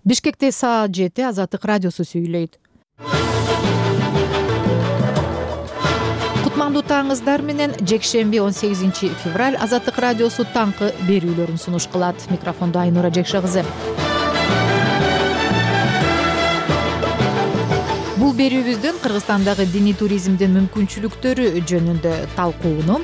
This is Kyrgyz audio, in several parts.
Бишкекте саат 7 Азаттык радиосу сүйлөйт. Кутмандуу таңыңыздар менен жекшемби 18 февраль Азаттык радиосу таңкы берүүлөрүн сунуш кылат. Микрофондо Айнура Жекше кызы. Бул берүүбүздөн Кыргызстандагы диний туризмдин мүмкүнчүлүктөрү жөнүндө талкууну,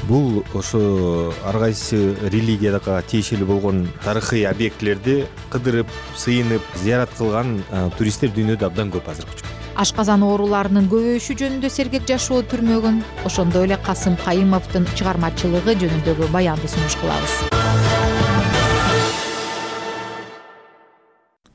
бул ошо ар кайсы религияга тиешелүү болгон тарыхый объектилерди кыдырып, сыйынып, зыярат кылган туристтер дүйнөдө абдан көп азыркы учурда. Ашказан ооруларынын көбөйүшү жөнүндө сергек жашоо түрмөгүн, ошондой эле Касым Кайымовдун чыгармачылыгы жөнүндөгү баянды сунуш кылабыз.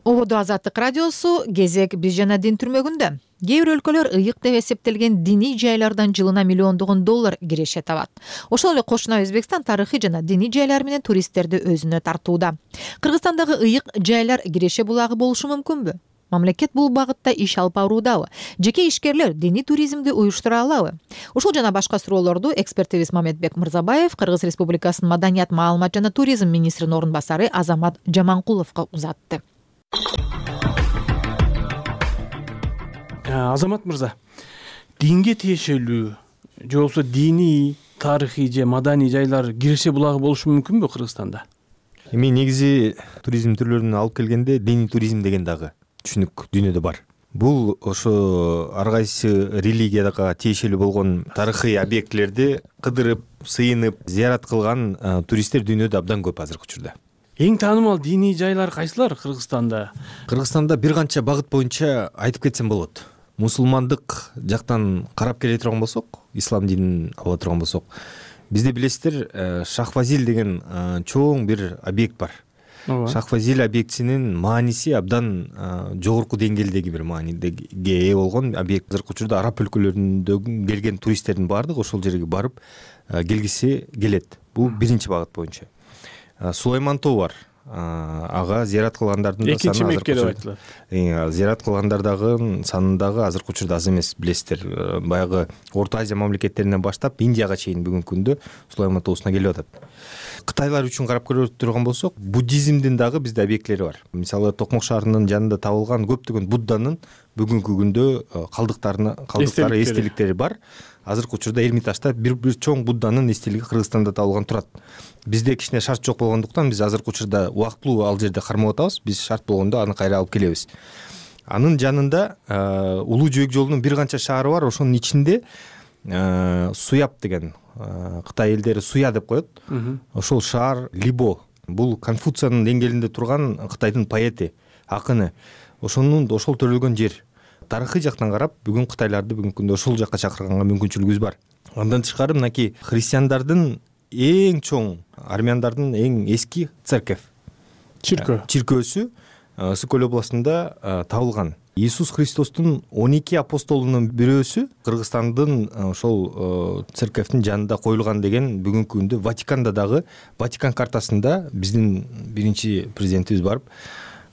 Ободо Азаттык радиосу кезек биз жана дин түрмөгүндө. Кээ бир өлкөлөр ыйык деп эсептелген диний жайлардан жылына миллиондогон доллар киреше табат. Ошол эле кошуна Өзбекстан тарыхый жана диний жайлар менен туристтерди өзүнө тартууда. Кыргызстандагы ыйык жайлар киреше булагы болушу мүмкүнбү? Мамлекет бул багытта иш алып баруудабы? Жеке ишкерлер диний туризмди уюштура алабы? Ушул жана башка суроолорду экспертибиз Мамедбек Мырзабаев Кыргыз Республикасынын Маданият, маалымат жана туризм министринин орун басары Азамат Жаманкуловго узатты. Азамат мырза, динге тиешелүү же болбосо диний, тарыхый же маданий жайлар киреше булагы болушу мүмкүнбү Кыргызстанда? Эми негизи туризм түрлөрүн алып келгенде диний туризм деген дагы түшүнүк дүйнөдө бар. Бул ошо ар кайсы религияга тиешелүү болгон тарыхый объектилерди кыдырып, сыйынып, зыярат кылган туристтер дүйнөдө абдан көп азыркы учурда. Эң таанымал диний жайлар кайсылар Кыргызстанда? Кыргызстанда бир канча багыт боюнча айтып кетсем болот. Мусулмандык жактан карап келе турган болсок, ислам динин ала турган болсок, бизде билесиздер, Шахфазил деген чоң бир объект бар. Шахфазил объектисинин мааниси абдан жогорку деңгээлдеги бир мааниге ээ болгон объект. Азыркы учурда араб өлкөлөрүндөн келген туристтердин баардыгы ошол жерге барып келгиси келет. Бул биринчи багыт боюнча. Сулайман тоо бар. Ага зыярат кылгандардын да экинчи Мекке деп айтылат. Зыярат кылгандардагы санындагы азыркы учурда аз эмес, билесиздер. Баягы Орто Азия мамлекеттеринен баштап Индияга чейин бүгүнкү күндө Сулайман тоосуна келип атат. Кытайлар үчүн карап көрө турган болсок, буддизмдин дагы бизде объектилери бар. Мисалы, Токмок шаарынын жанында табылган көптөгөн Будданын бүгүнкү күндө калдыктары, эстеликтери бар. Азыркы учурда Эрмитажда бир чоң Будданын эстелиги Кыргызстанда табылган турат. Бизде кичине шарт жок болгондуктан биз азыркы учурда убактылуу ал жерде кармап атабыз. Биз шарт болгондо аны кайра алып келебиз. Анын жанында Улуу жөөк жолунун бир канча шаары бар. Ошонун ичинде Суяб деген Кытай элдери Суя деп коет. Ошол шаар Либо. Бул Конфуциянын деңгээлинде турган Кытайдын поэти, акыны. Ошол төрөлгөн жер. Тарыхый жактан карап, бүгүн кытайларды бүгүнкү күндө ошол жакка чакырганга мүмкүнчүлүгүбүз бар. Андан тышкары мынакей христиандардын эң чоң, армяндардын эң эски чиркөөсү Сыкөл областында табылган. Иисус Христостун 12 апостолунун бирөөсү Кыргызстандын ошол церковдун жанында коюлган деген бүгүнкү күндө Ватиканда дагы, Ватикан картасында биздин биринчи президентибиз барып,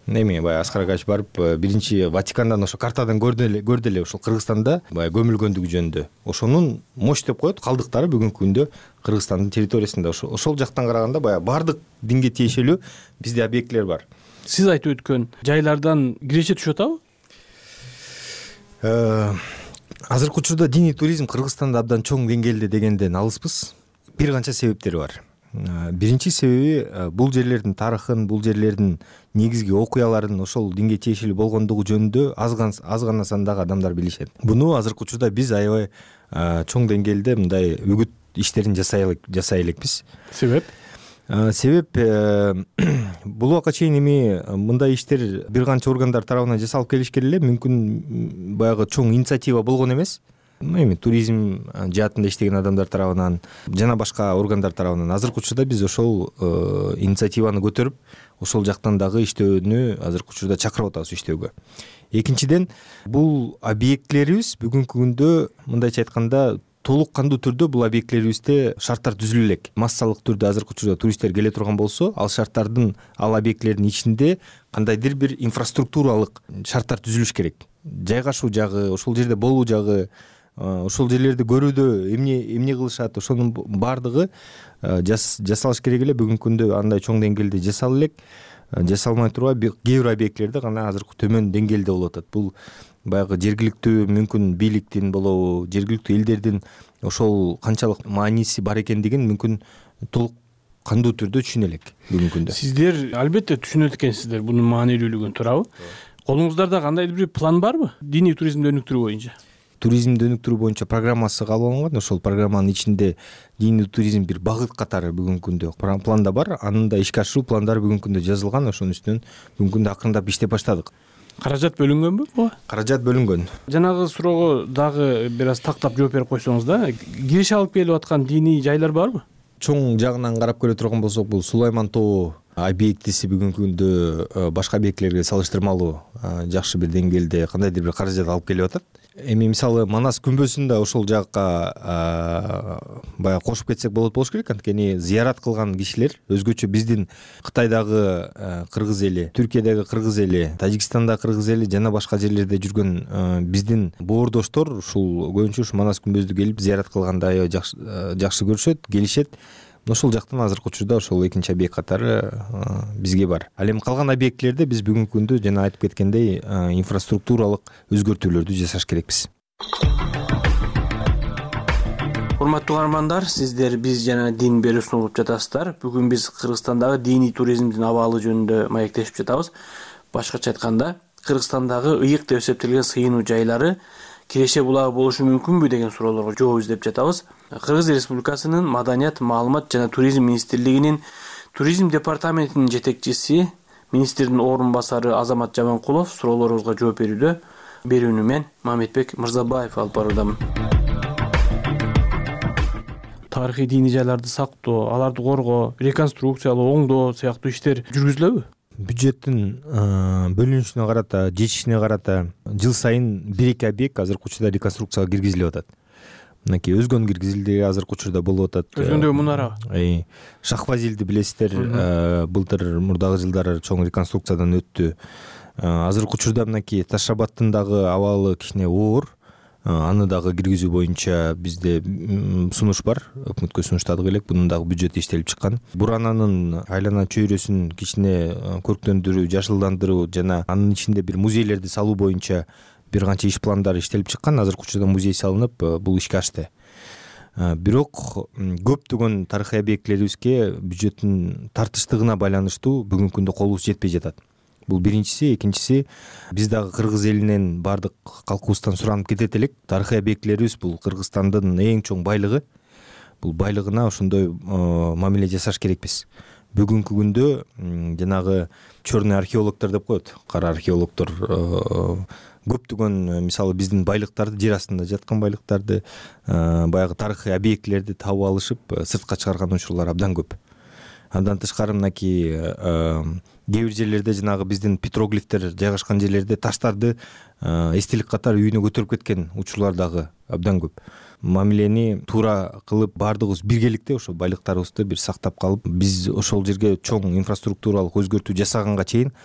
баягы Аскар Агач барып, биринчи Ватикандан ошо картадан көрдү эле ошол Кыргызстанда баягы көмүлгөндүгү жөнүндө. Ошонун мош деп коет калдыктары бүгүнкү күндө Кыргызстандын территориясында. Ошол жактан караганда баягы баардык динге тиешелүү бизде объектилер бар. Сиз айтып өткөн жайлардан киреше түшүп атабы? Азыркы учурда диний туризм Кыргызстанда абдан чоң деңгээлде дегенден алыспыз. Бир канча себептери бар. Биринчи себеби бул жерлердин тарыхын, бул жерлердин негизги окуяларын ошол динге тиешелүү болгондугу жөнүндө аз гана сандагы адамдар билишет. Буну азыркы учурда биз аябай чоң деңгээлде мындай үгүт иштерин жасай элекпиз. Себеп бул убакка чейин эми мындай иштер бир канча органдар тарабынан жасалып келишкен эле, мүмкүн баягы чоң инициатива болгон эмес. Эми туризм жаатында иштеген адамдар тарабынан жана башка органдар тарабынан азыркы учурда биз ошол инициативаны көтөрүп, ошол жактан дагы иштөөнү азыркы учурда чакырып атабыз иштөөгө. Экинчиден, бул объектилерибиз бүгүнкү күндө мындайча айтканда толук кандуу түрдө бул объектилерибизде шарттар түзүлө элек. Массалык түрдө азыркы учурда туристтер келе турган болсо, ал шарттардын, ал объектилердин ичинде кандайдыр бир инфраструктуралык шарттар түзүлүш керек. Жайгашуу жагы, ошол жерде болуу жагы, ошол жерлерди көрүүдө эмне кылышат, ошонун баардыгы жасалыш керек эле. Бүгүнкү күндө андай чоң деңгээлде жасала элек. жасалмай турган кээ бир объектилерде гана азыр төмөн деңгээлде болуп атат. Бул баягы жергиликтүү мүмкүн бийликтин болобу, жергиликтүү элдердин ошол канчалык мааниси бар экендигин мүмкүн толук кандуу түрдө түшүнө элек бүгүнкү күндө. Сиздер албетте түшүнөт экенсиздер бунун маанилүүлүгүн, туурабы? Колуңуздарда кандайдыр бир план барбы диний туризмди өнүктүрүү боюнча? Туризмди өнүктүрүү боюнча программасы кабыл алынган. Ошол программанын ичинде диний туризм бир багыт катары бүгүнкү күндө планда бар. Анын да ишке ашыруу пландары бүгүнкү күндө жазылган. Ошонун үстүнөн бүгүнкү күндө акырындап иштеп баштадык. Каражат бөлүнгөнбү буга? Каражат бөлүнгөн. Жанагы суроого дагы бир аз тактап жооп берип койсоңуз да, киреше алып келип аткан диний жайлар барбы? Чоң жагынан карап көрө турган болсок, бул Сулайман тоо объектиси бүгүнкү күндө башка объектилерге салыштырмалуу жакшы бир деңгээлде кандайдыр бир каражат алып келип атат. Эми мисалы Манас күмбөзүн да ошол жакка баягы кошуп кетсек болот болуш керек. Анткени зыярат кылган кишилер өзгөчө биздин Кытайдагы кыргыз эли, Түркиядагы кыргыз эли, Тажикстандагы кыргыз эли жана башка жерлерде жүргөн биздин боордоштор ушул көбүнчө ушу Манас күмбөздү келип зыярат кылганда аябай жакшы көрүшөт, келишет. Ошол жактан азыркы учурда ошол экинчи объект катары бизге бар. Ал эми калган объектилерде биз бүгүнкү күндө жана айтып кеткендей инфраструктуралык өзгөртүүлөрдү жасаш керекпиз. Урматтуу угармандар, сиздер биз жана дин берүүсүн угуп жатасыздар. Бүгүн биз Кыргызстандагы диний туризмдин абалы жөнүндө маектешип жатабыз. Башкача айтканда, Кыргызстандагы ыйык деп эсептелген сыйынуу жайлары киреше булагы болушу мүмкүнбү деген суроолорго жооп издеп жатабыз. Кыргыз Республикасынын Маданият, маалымат жана туризм министрлигинин туризм департаментинин жетекчиси, министрдин орун басары Азамат Жаманкулов суроолорубузга жооп берүүдө. Берүүнү мен Мамедбек Мырзабаев алып баруудамын. Тарыхый диний жайларды сактоо, аларды коргоо, реконструкциялоо, оңдоо сыяктуу иштер жүргүзүлөбү? Бюджеттин бөлүнүшүнө карата, жетишине карата жыл сайын 1-2 объект азыркы учурда реконструкцияга киргизилип атат. Мынакей Өзгөн киргизилди, азыркы учурда болуп атат. Өзгөндөгү мунарабы? Шахфазилди билесиздер, былтыр мурдагы жылдары чоң реконструкциядан өттү. Азыркы учурда мынакей Таш Шабаттын дагы абалы кичине оор. Аны дагы киргизүү боюнча бизде сунуш бар. Өкмөткө сунуштадык элек. Бунун дагы бюджети иштелип чыккан. Бурананын айлана чөйрөсүн кичине көрктөндүрүү, жашылдандыруу жана анын ичинде бир музейлерди салуу боюнча бир канча иш пландары иштелип чыккан. Азыркы учурда музей салынып, бул ишке ашты. Бирок көптөгөн тарыхый объектилерибизге бюджеттин тартыштыгына байланыштуу бүгүнкү күндө колубуз жетпей жатат. Бул биринчиси. Экинчиси, биз дагы кыргыз элинен бардык калкыбыздан суранып кетет элек. Тарыхый объектилерибиз бул Кыргызстандын эң чоң байлыгы. Бул байлыгына ошондой мамиле жасаш керекпиз. Бүгүнкү күндө жанагы чёрный археологдор деп коет. Кара археологдор көптөгөн мисалы биздин байлыктарды, жер астында жаткан байлыктарды, баягы тарыхый объектилерди табып алышып, сыртка чыгарган учурлар абдан көп. Андан тышкары мынакей кээ бир жерлерде жанагы биздин петроглифтер жайгашкан жерлерде таштарды эстелик катары үйүнө көтөрүп кеткен учурлар дагы абдан көп. Мамилени туура кылып баардыгыбыз биргеликте ошо байлыктарыбызды бир сактап калып, биз ошол жерге чоң инфраструктуралык өзгөртүү жасаганга чейин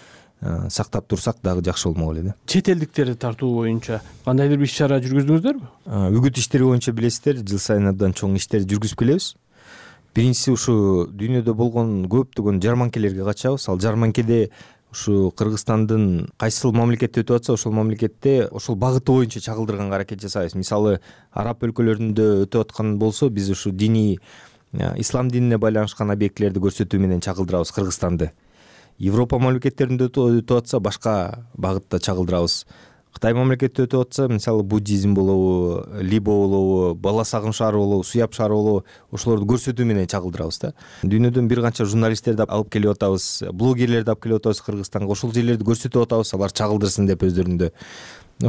сактап турсак дагы жакшы болмок эле да. Чет элдиктерди тартуу боюнча кандайдыр бир иш-чара жүргүздүңүздөрбү? Үгүт иштери боюнча билесиздер, жыл сайын абдан чоң иштер жүргүзүп келебиз. Биринчиси ушу дүйнөдө болгон көптөгөн жарманкелерге качабыз. Ал жарманкеде ушу Кыргызстандын кайсыл мамлекетте өтүп атса, ошол мамлекетте ошол багыты боюнча чагылдырганга аракет жасайбыз. Мисалы, араб өлкөлөрүндө өтүп аткан болсо, биз ушу диний ислам динине байланышкан объектилерди көрсөтүү менен чагылдырабыз Кыргызстанды. Европа мамлекеттеринде өтүп атса, башка багытта чагылдырабыз. Кытай мамлекетте өтүп атса, мисалы буддизм болобу, либо болобу, бала сагым шаары болобу, суяб шаары болобу, ошолорду көрсөтүү менен чагылдырабыз да. Дүйнөдөн бир канча журналисттерди алып келип атабыз, блогерлерди алып келип атабыз Кыргызстанга. Ошол жерлерди көрсөтүп атабыз, алар чагылдырсын деп өздөрүндө.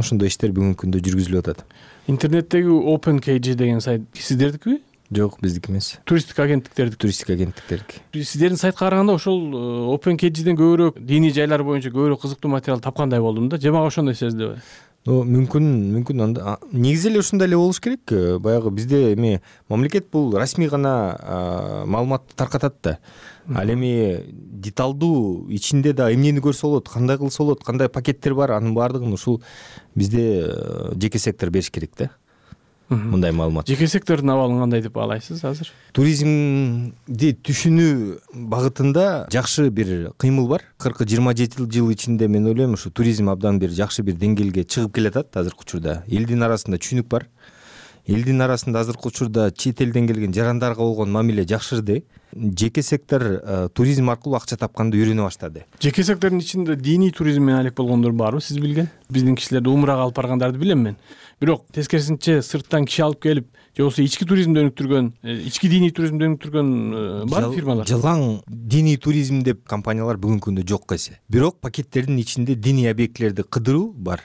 Ошондой иштер бүгүнкү күндө жүргүзүлүп атат. Интернеттеги OpenKG деген сайт сиздердикиби? Жок, биздики эмес. Туристтик агенттиктердики. Туристтик агенттиктердики. Сиздердин сайтка караганда ошол OpenKGден көбүрөөк диний жайлар боюнча көбүрөөк кызыктуу материал тапкандай болдум да. Жамаға ошондой сездиби? Мүмкүн анда негизи эле ушундай эле болуш керек. Баягы бизде эми мамлекет бул расмий гана маалыматты таркатат да. Ал эми деталдуу ичинде да эмнени көрсө болот, кандай кылса болот, кандай пакеттер бар, анын баардыгын ушул бизде жеке сектор бериш керек да. мындай маалымат. Жеке сектордун абалын кандай деп баалайсыз азыр? Туризмди түшүнүү багытында жакшы бир кыймыл бар. 40-27 жыл ичинде мен ойлойм ушу туризм абдан бир жакшы бир деңгээлге чыгып келатат азыркы учурда. Элдин арасында түшүнүк бар. Элдин арасында азыркы учурда чет элден келген жарандарга болгон мамиле жакшырды. Жеке сектор туризм аркылуу акча тапканды үйрөнө баштады. Жеке сектордун ичинде диний туризм менен алек болгондор барбы сиз билген? Биздин кишилерди умрага алып баргандарды билем мен. Бирок тескерисинче сырттан киши алып келип, же болбосо ички туризмди өнүктүргөн, ички диний туризмди өнүктүргөн бар фирмалар. Жылаң диний туризм деп компаниялар бүгүнкү күндө жок эсе. Бирок пакеттердин ичинде диний объектилерди кыдыруу бар.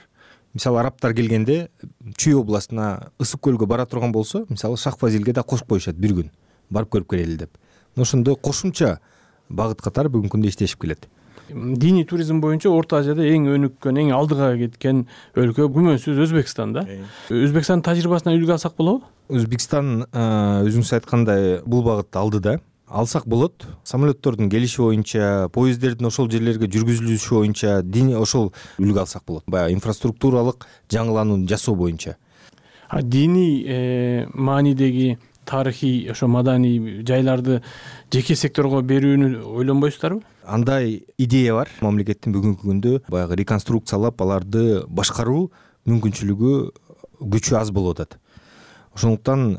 Мисалы арабтар келгенде Чүй областына Ысык көлгө бара турган болсо, мисалы Шах-Фазилге да кошуп коюшат бир күн. Барып көрүп келели деп. Ошондой кошумча багыт катары бүгүнкү күндө иштешип келет. Диний туризм боюнча Орто Азияда эң өнүккөн, эң алдыга кеткен өлкө күмөнсүз Өзбекстан да. Өзбекстандын тажрыйбасынан үлгү алсак болобу? Өзбекстан өзүңүз айткандай бул багытта алдыда. Алсак болот. Самолеттордун келиши боюнча, поезддердин ошол жерлерге жүргүзүлүшү боюнча ошол үлгү алсак болот. Баягы инфраструктуралык жаңыланууну жасоо боюнча. Диний маанидеги тарыхый ошо маданий жайларды жеке секторго берүүнү ойлонбойсуздарбы? Андай идея бар. Мамлекеттин бүгүнкү күндө баягы реконструкциялап аларды башкаруу мүмкүнчүлүгү күчү аз болуп атат. Ошондуктан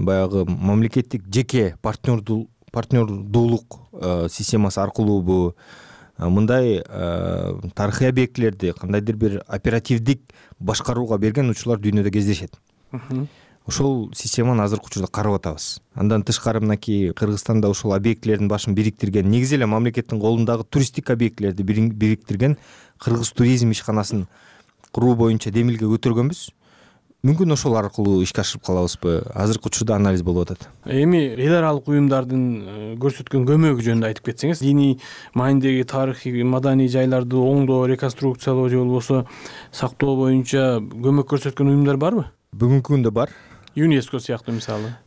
баягы мамлекеттик жеке партнердуулук системасы аркылуубу мындай тарыхый объектилерди кандайдыр бир оперативдик башкарууга берген учурлар дүйнөдө кездешет. Ошол системаны азыркы учурда карап атабыз. Андан тышкары мынакей Кыргызстанда ошол объектилердин башын бириктирген, негизи эле мамлекеттин колундагы туристтик объектилерди бириктирген Кыргыз туризм ишканасын куруу боюнча демилге көтөргөнбүз. Мүмкүн ошол аркылуу ишке ашырып калабызбы? Азыркы учурда анализ болуп атат. Эми эл аралык уюмдардын көрсөткөн көмөгү жөнүндө айтып кетсеңиз, диний маанидеги тарыхый маданий жайларды оңдоо, реконструкциялоо же болбосо сактоо боюнча көмөк көрсөткөн уюмдар барбы? Бүгүнкү күндө бар. ЮНЕСКО сыяктуу мисалы.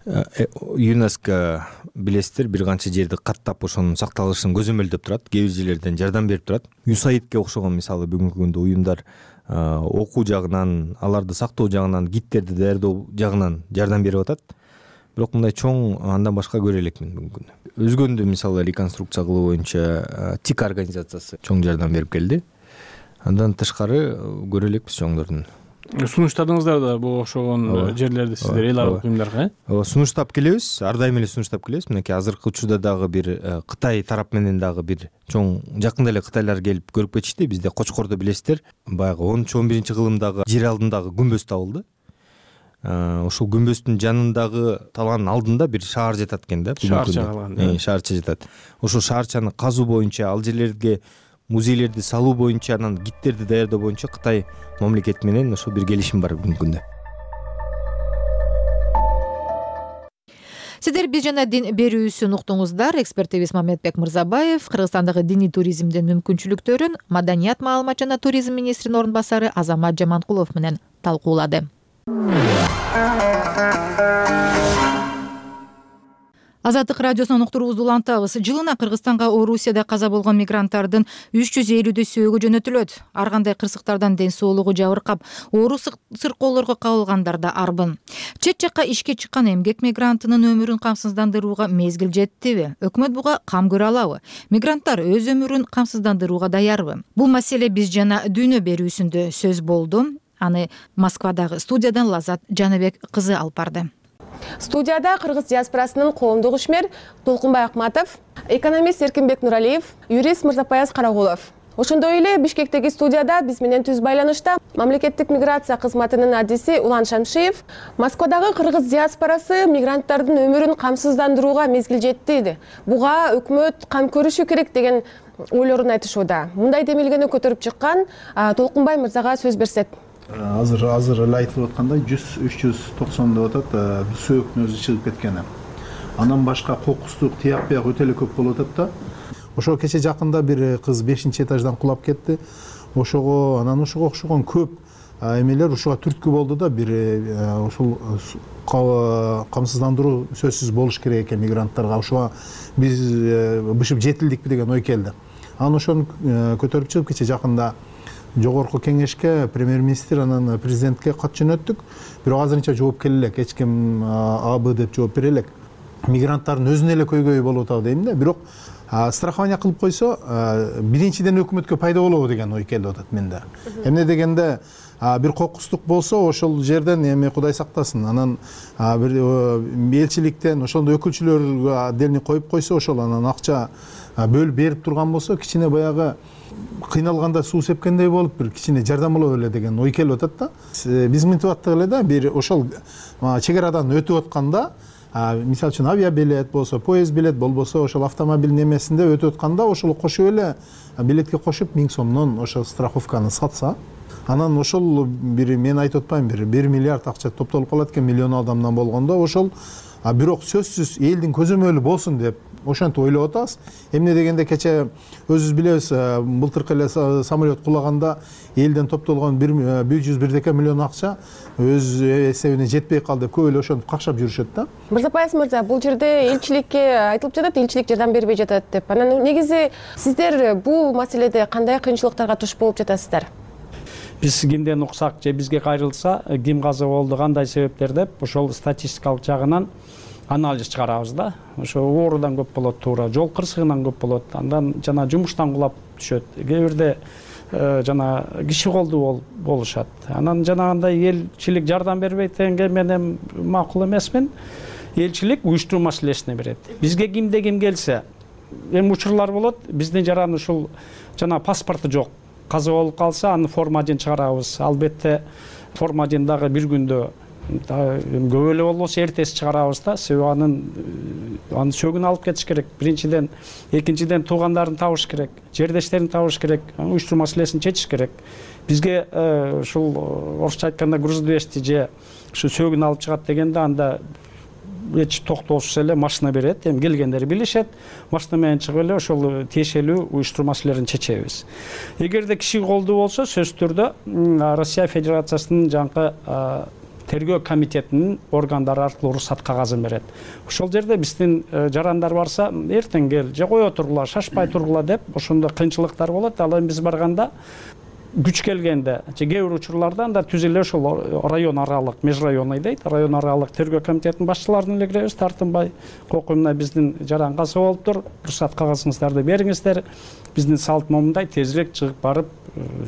ЮНЕСКО билесиздер бир канча жерди каттап ошонун сакталышын көзөмөлдөп турат, кээ бир жерлерден жардам берип турат. ЮСАИДке окшогон мисалы бүгүнкү күндө уюмдар окуу жагынан, аларды сактоо жагынан, гидтерди даярдоо жагынан жардам берип атат. Бирок мындай чоң андан башка көрө элекмин бүгүнкү күндө. Өзгөндө мисалы реконструкция кылуу боюнча ТИК организациясы чоң жардам берип келди. Андан тышкары көрө элекпиз чоңдордун. Сунуштадыңыздар да бул окшогон жерлерди сиздер эл аралык уюмдарга? Сунуштап келебиз, ар дайым эле сунуштап келебиз. Мынакей азыркы учурда дагы бир Кытай тарап менен дагы бир чоң жакында эле кытайлар келип көрүп кетишти. Бизде Кочкордо билесиздер, баягы 10-11 кылымдагы жер алдындагы күмбөз табылды. Ошол күмбөздүн жанындагы талаанын алдында бир шаар жатат экен да. Шаарча жатат. Ошол шаарчаны казуу боюнча, ал жерлерге музейлерди салуу боюнча, анан гидтерди даярдоо боюнча Кытай мамлекети менен ошол бир келишим бар бүгүнкү күндө. Сиздер биз жана дин берүүсүн уктуңуздар. Экспертибиз Мамедбек Мырзабаев Кыргызстандагы диний туризмдин мүмкүнчүлүктөрүн Маданият, маалымат жана туризм министринин орун басары Азамат Жаманкулов менен талкуулады. Азаттык радиосунун уктуруубузду улантабыз. Жылына Кыргызстанга Орусияда каза болгон мигранттардын 350-сөөгү жөнөтүлөт. Ар кандай кырсыктардан ден соолугу жабыркап, оору сыркоолорго кабылгандар да арбын. Чет жакка ишке чыккан эмгек мигрантынын өмүрүн камсыздандырууга мезгил жеттиби? Өкмөт буга кам көрө алабы? Мигранттар өз өмүрүн камсыздандырууга даярбы? Бул маселе биз жана дүйнө берүүсүндө сөз болду. Аны Москвадагы студиядан Лазат Жаныбек кызы алып барды. Студияда Кыргыз диаспорасынын коомдук ишмер Толкунбай Акматов, экономист Эркинбек Нуралиев, юрист Мырзапаяз Карагулов. Ошондой эле Бишкектеги студияда биз менен түз байланышта мамлекеттик миграция кызматынын адиси Улан Шамшиев. Москвадагы кыргыз диаспорасы мигранттардын өмүрүн камсыздандырууга мезгил жетти. Буга өкмөт кам көрүшү керек деген ойлорун айтышууда. Мындай демилгени көтөрүп чыккан Толкунбай мырзага сөз берсек. Азыр эле айтылып аткандай 390 деп атат сөөктүн өзү чыгып кеткени. Андан башка кокустук тияк бияк өтө эле көп болуп атат да. Ошо кече жакында бир кыз 5-этаждан кулап кетти. Ошого окшогон көп эмелер ушуга түрткү болду да. Бир ушул камсыздандыруу сөзсүз болуш керек экен мигранттарга. Ошуга биз бышып жетилдикпи деген ой келди. Анан ошону көтөрүп чыгып кече жакында жогорку кеңешке премьер-министр анан президентке кат жөнөттүк. Бирок азырынча жооп келе элек. Эч ким АБ деп жооп бере элек. Мигранттардын өзүнө эле көйгөйү болуп атабы дейм да. Бирок страхование кылып койсо, биринчиден өкмөткө пайда болобу деген ой келип атат менде. Эмне дегенде бир кокустук болсо, ошол жерден эми Кудай сактасын, анан бир элчиликтен ошондой өкүлчүлөргө отдельный коюп койсо, ошол анан акча бөлүп берип турган болсо, кичине баягы кыйналганда суу сепкендей болуп, бир кичине жардам боло беле деген ой келип атат да. Биз мынтип аттык эле да, бир ошол чек арадан өтүп атканда, мисалы үчүн авиабилет болсо, поезд билет болбосо, ошол автомобиль немесинде өтүп атканда, ошол кошуп эле билетке кошуп 1000 сомдон ошол страховканы сатса, анан ошол бир мен айтып атпайм, бир 1 миллиард акча топтолуп калат экен миллион адамдан болгондо, ошол бирок сөзсүз элдин көзөмөлү болсун деп ошентип ойлоп атабыз. Эмне дегенде кече өзүбүз билебиз, былтыркы эле самолет кулаганда элден топтолгон 101 миллион акча өз эсебине жетпей калды деп көп эле ошентип какшап жүрүшөт да. Мырзапаев мырза, бул жерде элчиликке айтылып жатат, элчилик жардам бербей жатат деп. Анан негизи сиздер бул маселеде кандай кыйынчылыктарга туш болуп жатасыздар? Биз кимден уксак же бизге кайрылса, ким каза болду, кандай себептер деп ошол статистикалык жагынан анализ чыгарабыз да. Ошо оорудан көп болот, туура жол кырсыгынан көп болот, андан жана жумуштан кулап түшөт. Кээ бирде жана киши колдуу болушат. Анан жанагындай элчилик жардам бербейт дегенге мен эми макул эмесмин. Элчилик уюштуруу маселесине берет. Бизге кимде ким келсе, эми учурлар болот, биздин жаран ушул жана паспорту жок. Каза болуп калса, аны формадин чыгарабыз. Албетте формадин дагы бир күндө көп эле болбосо эртеси чыгарабыз да. Себеби анын сөгүн алып кетиш керек. Биринчиден, экинчиден туугандарын табыш керек, жердештерин табыш керек, уюштуруу маселесин чечиш керек. Бизге ушул орусча айтканда груз-200 же ушу сөгүн алып чыгат дегенде анда эч токтоосуз эле машина берет. Эми келгендер билишет, машина менен чыгып эле ошол тиешелүү уюштуруу маселелерин чечебиз. Эгерде киши колдуу болсо, сөзсүз түрдө Россия Федерациясынын жаңкы тергөө комитетинин органдары аркылуу уруксат кагазын берет. Ошол жерде биздин жарандар барса, эртең кел, же кое тургула, шашпай тургула деп, ошондо кыйынчылыктар болот. Ал эми биз барганда күч келгенде, же кээ бир учурларда анда түз эле ошол район аралык, межрайонный дейт, район аралык тергөө комитетинин башчыларын эле киребиз, тартынбай, кокуймуна биздин жаран каза болуптур, уруксат кагазыңыздарды бериңиздер, биздин салт момундай, тезирээк чыгып барып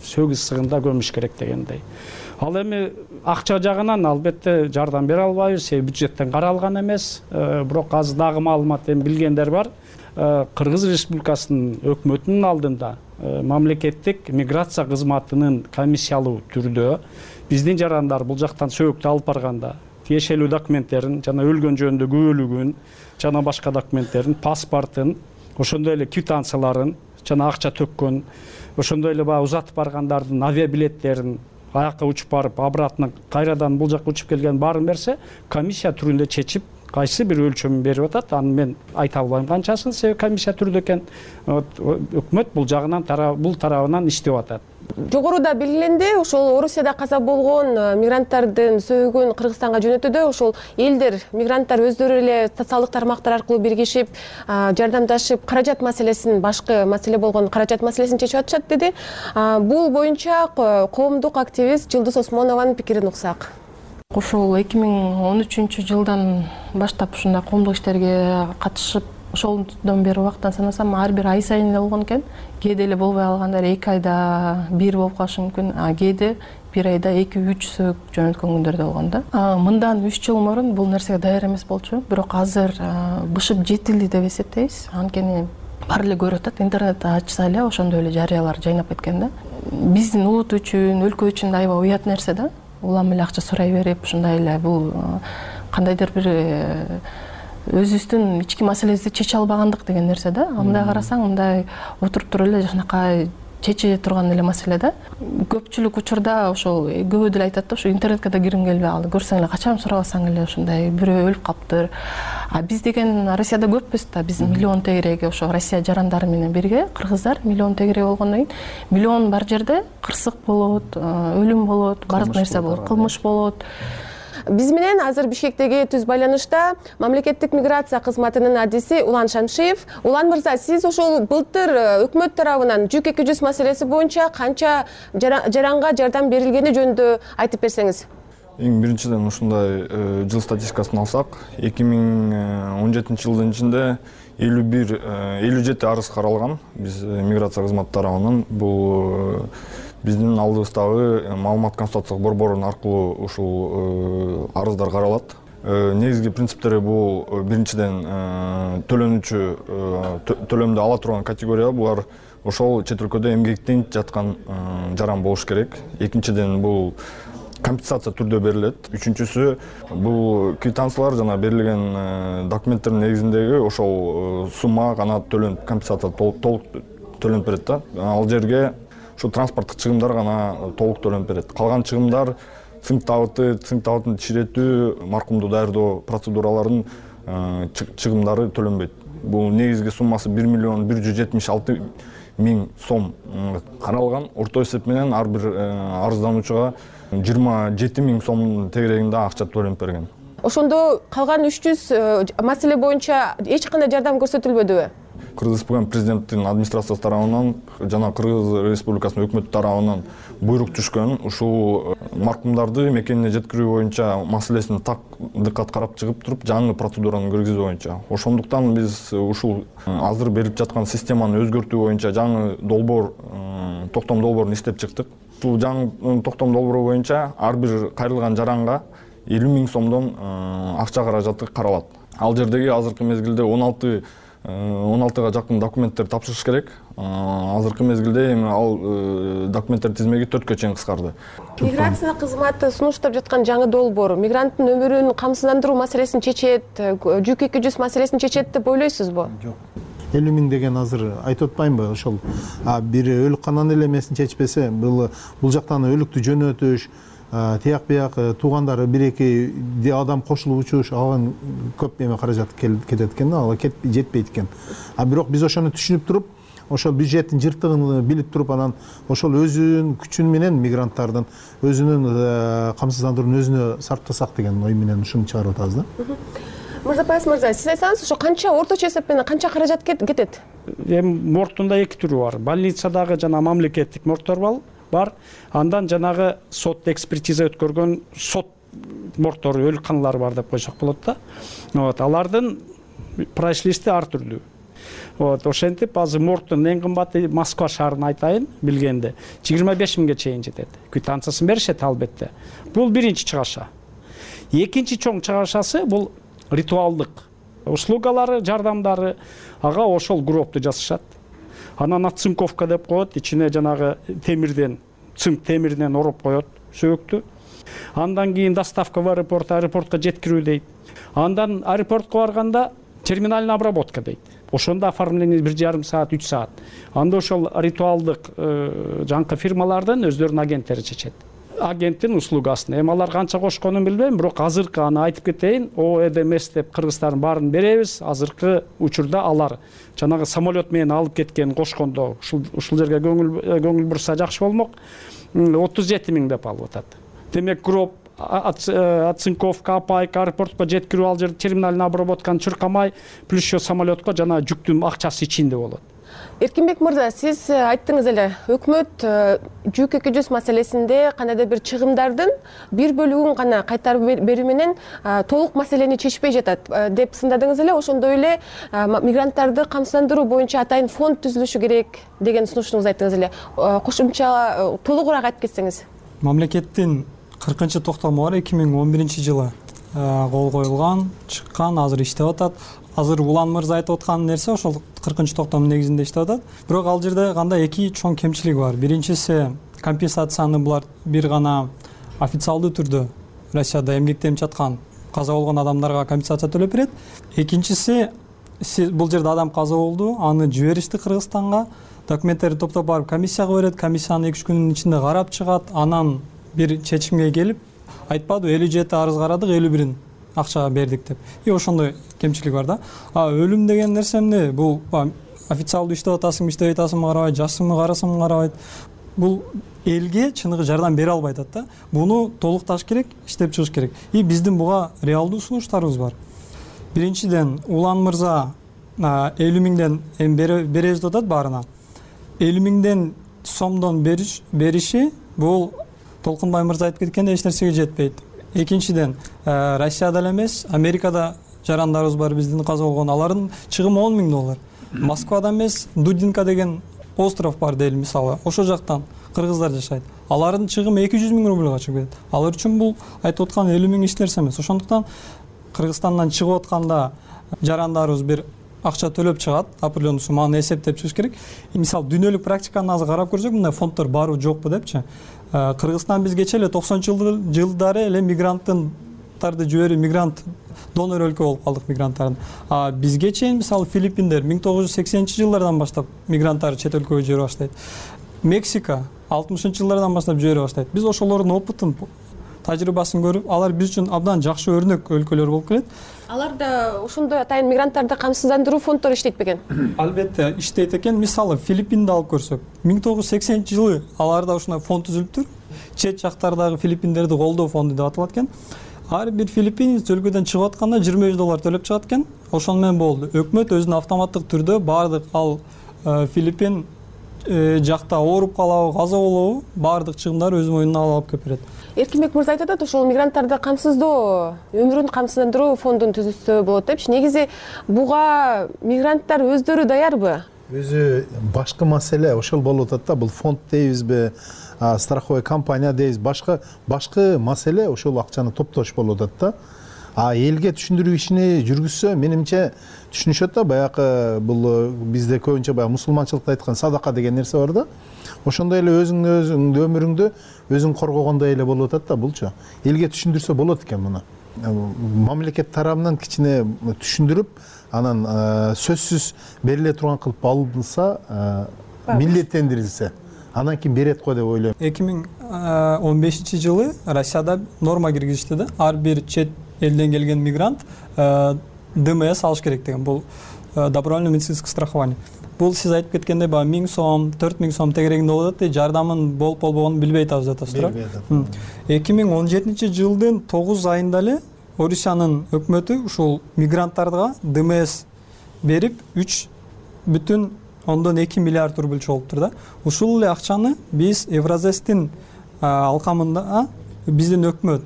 сөгүз сыгында көмүш керек дегендей. Ал эми акча жагынан албетте жардам бере албайбыз, себеби бюджеттен каралган эмес. Бирок азыр дагы маалымат эми билгендер бар. Кыргыз Республикасынын өкмөтүнүн алдында мамлекеттик миграция кызматынын комиссиялуу түрдө биздин жарандар бул жактан сөөктү алып барганда тиешелүү документтерин, жана өлгөн жөнүндө күбөлүгүн, жана башка документтерин, паспортун, ошондой эле квитанцияларын, жана акча төккөн, ошондой эле баягы узатып баргандардын авиабилеттерин, аяққа учуп барып, обратно кайрадан бул жакка учуп келген баарын берсе, комиссия түрүндө чечип, кайсы бир өлчөмүн берип атат. Аны мен айта албайм канчасын, себеби комиссия түрүндө экен. Өкмөт бул жагынан бул тарабынан иштеп атат. Жогоруда белгиленди, ошол Орусияда каза болгон мигранттардын сөөгүн Кыргызстанга жөнөтүүдө ошол элдер, мигранттар өздөрү эле социалдык тармактар аркылуу биригишип, жардамдашып, каражат маселесин, башкы маселе болгон каражат маселесин чечип атышат деди. Бул боюнча коомдук активист Жылдыз Осмонованын пикирин уксак. Ошол 2013 жылдан баштап ушундай коомдук иштерге катышып, ошолдон бери убактан санасам, ар бир ай сайын эле болгон экен. Кээде эле болбой алгандар 2 айда 1 болуп калышы мүмкүн, кээде 1 айда 2-3 сөк жөнөткөн күндөр да болгон да. Мындан 3 жыл мурун бул нерсеге даяр эмес болчу, бирок азыр бышып жетилди деп эсептейбиз. Анткени баары эле көрүп атат, интернетти ачса эле ошондой эле жарыялар жайнап кеткен да. Биздин улут үчүн, өлкө үчүн да аябай уят нерсе да. Улам эле акча сурай берип, ушундай эле бул кандайдыр бир өзүбүздүн ички маселебизди чече албагандык деген нерсе да. Мындай карасаң, мындай отуруп туруп эле жанакай чече турган эле маселе да. Көпчүлүк учурда ошол көбү деле айтат да, ошо интернетке да киргим келбей калды. Көрсөң эле качан сурабасаң эле ушундай бирөө өлүп калыптыр. Биз деген Россияда көппүз да, биз миллион тегереги ошо Россия жарандары менен бирге, кыргыздар миллион тегереги болгондон кийин, миллион бар жерде кырсык болот, өлүм болот, баардык нерсе болот, кылмыш болот. Биз менен азыр Бишкектеги түз байланышта мамлекеттик миграция кызматынын адиси Улан Шамшиев. Улан мырза, сиз ошол былтыр өкмөт тарабынан ЖУК 200 маселеси боюнча канча жаранга жардам берилгени жөнүндө айтып берсеңиз. Эң биринчиден ушундай жыл статистикасын алсак, 2017 жылдын ичинде 57 арыз каралган биз миграция кызматы тарабынан. Бул биздин алдыбыздагы маалымат консультациялык борборунун аркылуу ушул арыздар каралат. Негизги принциптери бул биринчиден төлөнүүчү төлөмдү ала турган категория, булар ошол чет өлкөдө эмгектенип жаткан жаран болуш керек. Экинчиден бул компенсация түрдө берилет. Үчүнчүсү бул квитанциялар жана берилген документтердин негизиндеги ошол сумма гана компенсация толук төлөнүп берет да. Ал жерге ошо транспорттук чыгымдар гана толук төлөнүп берет. Калган чыгымдар цинк табытын чиретүү, маркумду даярдоо процедураларынын чыгымдары төлөнбөйт. Бул негизги суммасы 1,176 миң сом каралган. Орто эсеп менен ар бир арыздануучуга 27 миң сомдун тегерегинде акча төлөнүп берген. Ошондо калган 300 маселе боюнча эч кандай жардам көрсөтүлбөдүбү? Кыргыз Республикасынын президенттин администрациясы тарабынан жана Кыргыз Республикасынын өкмөтү тарабынан буйрук түшкөн. Ушул маркумдарды мекенине жеткирүү боюнча маселесин так дыккат карап чыгып туруп, жаңы процедураны киргизүү боюнча. Ошондуктан биз ушул азыр берип жаткан системаны өзгөртүү боюнча жаңы долбоор, токтом долбоорун иштеп чыктык. Бул жаңы токтом долбоору боюнча ар бир кайрылган жаранга 50 миң сомдон акча каражаты каралат. Ал жердеги азыркы мезгилде 16га жакын документтер тапшырыш керек. Азыркы мезгилде эми ал документтер тизмеги 4кө чейин кыскарды. Миграция кызматы сунуштап жаткан жаңы долбоор мигранттын өмүрүн камсыздандыруу маселесин чечет, ЖУК 200 маселесин чечет деп ойлойсузбу? Жок. 50 миң деген азыр айтып атпаймынбы? Ошол бир өлүккананын эле эмесин чечпесе, бул жактан өлүктү жөнөтүш, тияк бияк туугандары 1-2 адам кошулуп учуш, алган көп эме каражат кетет экен да, ал жетпейт экен. Бирок биз ошону түшүнүп туруп, ошол бюджеттин жыртыгын билип туруп, анан ошол өзүнүн күчүн менен мигранттардын өзүнүн камсыздандырууну өзүнө сарптасак деген ой менен ушуну чыгарып атабыз да. Мырзапаев мырза, сиз айтсаңыз, ошо канча орточо эсеп менен канча каражат кетет? Эми мордтунда 2 түрү бар. Больницадагы жана мамлекеттик мордтор бар. Андан жанагы сот экспертиза өткөргөн сот мордтору, өлүкканалар бар деп койсок болот да. Алардын прайс-листи ар түрлүү. Ошентип азыр мордтун эң кымбаты Москва шаарын айтайын билгенде 25 миңге чейин жетет. Квитанциясын беришет албетте. Бул биринчи чыгаша. Экинчи чоң чыгашасы бул ритуалдык услугалары, жардамдары, ага ошол гробду жасашат. Анан оцинковка деп коет, ичине жанагы цинк темиринен ороп коет сөөктү. Андан кийин доставка в аэропортко жеткирүү дейт. Андан аэропортко барганда терминальный обработка дейт. Ошондо оформление 1,5 саат, 3 саат. Анда ошол ритуалдык жаңкы фирмалардын өздөрүнүн агенттери чечет. Агенттин услугасын. Эми алар канча кошконун билбейм, бирок азыркы аны айтып кетейин, ОЭДМС деп кыргыздардын баарын беребиз. Азыркы учурда алар жанагы самолет менен алып кеткен кошкондо ушул жерге көңүл бурса жакшы болмок. 37 миң деп алып атат. Демек гроб, оцинковка, апайка, аэропортко жеткирүү, ал жерде терминальный обработканы чуркамай, плюс еще самолетко жана жүктүн акчасы ичинде болот. Эркинбек мырза, сиз айттыңыз эле, өкмөт ЖУК 200 маселесинде кандайдыр бир чыгымдардын бир бөлүгүн гана кайтарып берүү менен толук маселени чечпей жатат деп сындадыңыз эле. Ошондой эле мигранттарды камсыздандыруу боюнча атайын фонд түзүлүшү керек деген сунуштуңузду айттыңыз эле. Кошумча толугураак айтып кетсеңиз. Мамлекеттин 40-токтому бар, 2011-жылы кол коюлган, чыккан, азыр иштеп атат. Азыр Улан мырза айтып аткан нерсе ошол 40-токтомдун негизинде иштеп атат. Бирок ал жерде кандай 2 чоң кемчилиги бар. Биринчиси компенсацияны булар бир гана официалдуу түрдө Россияда эмгектенип жаткан каза болгон адамдарга компенсация төлөп берет. Экинчиси бул жерде адам каза болду, аны жиберишти Кыргызстанга, документтерди топтоп барып комиссияга берет, комиссияны 2-3 күндүн ичинде карап чыгат, анан бир чечимге келип айтпады 57 арыз карадык, 51-ин акча бердик деп. Ошондой кемчилик бар да. Өлүм деген нерсе эмне? Бул официалдуу иштеп атасыңбы, иштебей атасыңбы карабайт, жашсыңбы, карасыңбы карабайт. бул элге чыныгы жардам бере албай атат да. Буну толукташ керек, иштеп чыгыш керек. И биздин буга реалдуу сунуштарыбыз бар. Биринчиден, Улан мырза 50 миңден беребиз деп атат баарына. 50 миңден сомдон бериши бул Толкунбай мырза айтып кеткендей эч нерсеге жетпейт. Экинчиден, Россияда эле эмес, Америкада жарандарыбыз бар биздин каза болгон, алардын чыгымы $10,000. Москвада эмес, Дудинка деген остров бар дейли мисалы. Ошол жактан кыргыздар жашайт. Алардын чыгымы 200 миң рубльга чыгып кетет. Алар үчүн бул айтып аткан 50 миң эч нерсе эмес. Ошондуктан Кыргызстандан чыгып атканда жарандарыбыз бир акча төлөп чыгат, определенный сумманы эсептеп чыгыш керек. Мисалы дүйнөлүк практиканы азыр карап көрсөк, мындай фонддор барбы жокпу депчи. Кыргызстан бизгече эле 90-жылдары эле мигранттарды жиберип, мигрант донор өлкө болуп калдык мигранттардын. Бизге чейин мисалы Филиппиндер 1980-жылдардан баштап мигранттарды чет өлкөгө жибере баштайт. Мексика 60-жылдардан баштап жибере баштайт. Биз ошолордун опытын, тажрыйбасын көрүп, алар биз үчүн абдан жакшы өрнөк өлкөлөр болуп келет. Аларда ошондой атайын мигранттарды камсыздандыруу фонддору иштейт бекен? Албетте иштейт экен. Мисалы Филиппинди алып көрсөк, 1980-жылы аларда ушундай фонд түзүлүптүр. Чет жактардагы филиппиндерди колдоо фонду деп аталат экен. Ар бир филиппинец өлкөдөн чыгып атканда $25 төлөп чыгат экен. Ошону менен болду. Өкмөт өзүнүн автоматтык түрдө баардык ал Филиппин жакта ооруп калабы, каза болобу, баардык чыгымдарды өз мойнуна алып келип берет. Эркинбек мырза айтат, ошол мигранттарды камсыздоо, өмүрүн камсыздандыруу фондун түзүлсө болот депчи. Негизи буга мигранттар өздөрү даярбы? Өзү башкы маселе ошол болуп атат да. Бул фонд дейбизби, страховой компания дейбиз, башкы маселе ошол акчаны топтош болуп атат да. Элге түшүндүрүү ишини жүргүзсө, менимче түшүнүшөт да. Баягы бул бизде көбүнчө баягы мусулманчылыкта айткан садака деген нерсе бар да. Ошондой эле өзүңдүн өмүрүңдү өзүң коргогондой эле болуп атат да булчу. Элге түшүндүрсө болот экен муну. Мамлекет тарабынан кичине түшүндүрүп, анан сөзсүз бериле турган кылып алынса, милдеттендирилсе, анан кийин берет го деп ойлойм. 2015-жылы Россияда норма киргизишти да. Ар бир чет элден келген мигрант ДМС алыш керек деген. Бул добровольное медицинское страхование. Бул сиз айтып кеткендей, 1000 сом, 4000 сом тегерегинде болот да, жардамын болуп болбогонун билбей атабыз атасыздар. 2017-жылдын 9 айында эле Орусиянын өкмөтү ушул мигранттарга ДМС берип 3,2 миллиард рубль чогулттур да. Ушул эле акчаны биз Евразестин алкамында биздин өкмөт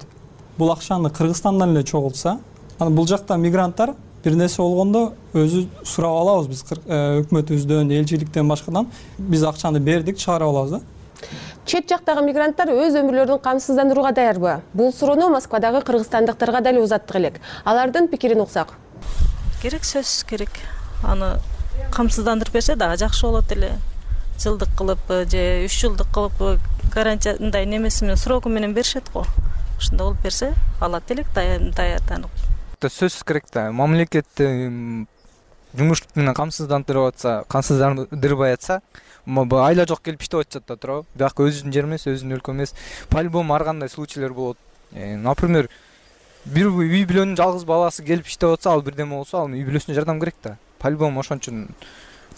бул акчаны Кыргызстандан эле чогултса, анан бул жакта мигранттар бир нерсе болгондо өзү сурап алабыз биз өкмөтүбүздөн, элчиликтен башкадан биз акчаны бердик, чыгарып алабыз да. Чет жактагы мигранттар өз өмүрлөрүн камсыздандырууга даярбы? Бул суроону Москвадагы кыргызстандыктарга дал узаттык элек. Алардын пикирин уксак. Керек, сөзсүз керек. Аны камсыздандырып берсе дагы жакшы болот эле. Жылдык кылып же 3 жылдык кылып гарантиядай немеси менен сроку менен беришет го. Ушундай болуп берсе алат элек даярданып. Сөзсүз керек да. Мамлекет жумуш менен камсыздандырбай атса, айла жок келип иштеп атышат да туурабы. Бирок өзүнүн жери эмес, өзүнүн өлкө эмес. По-любому ар кандай случайлар болот. Например, бир үй бүлөнүн жалгыз баласы келип иштеп атса, ал бирдеме болсо, ал үй бүлөсүнө жардам керек да. По-любому ошон үчүн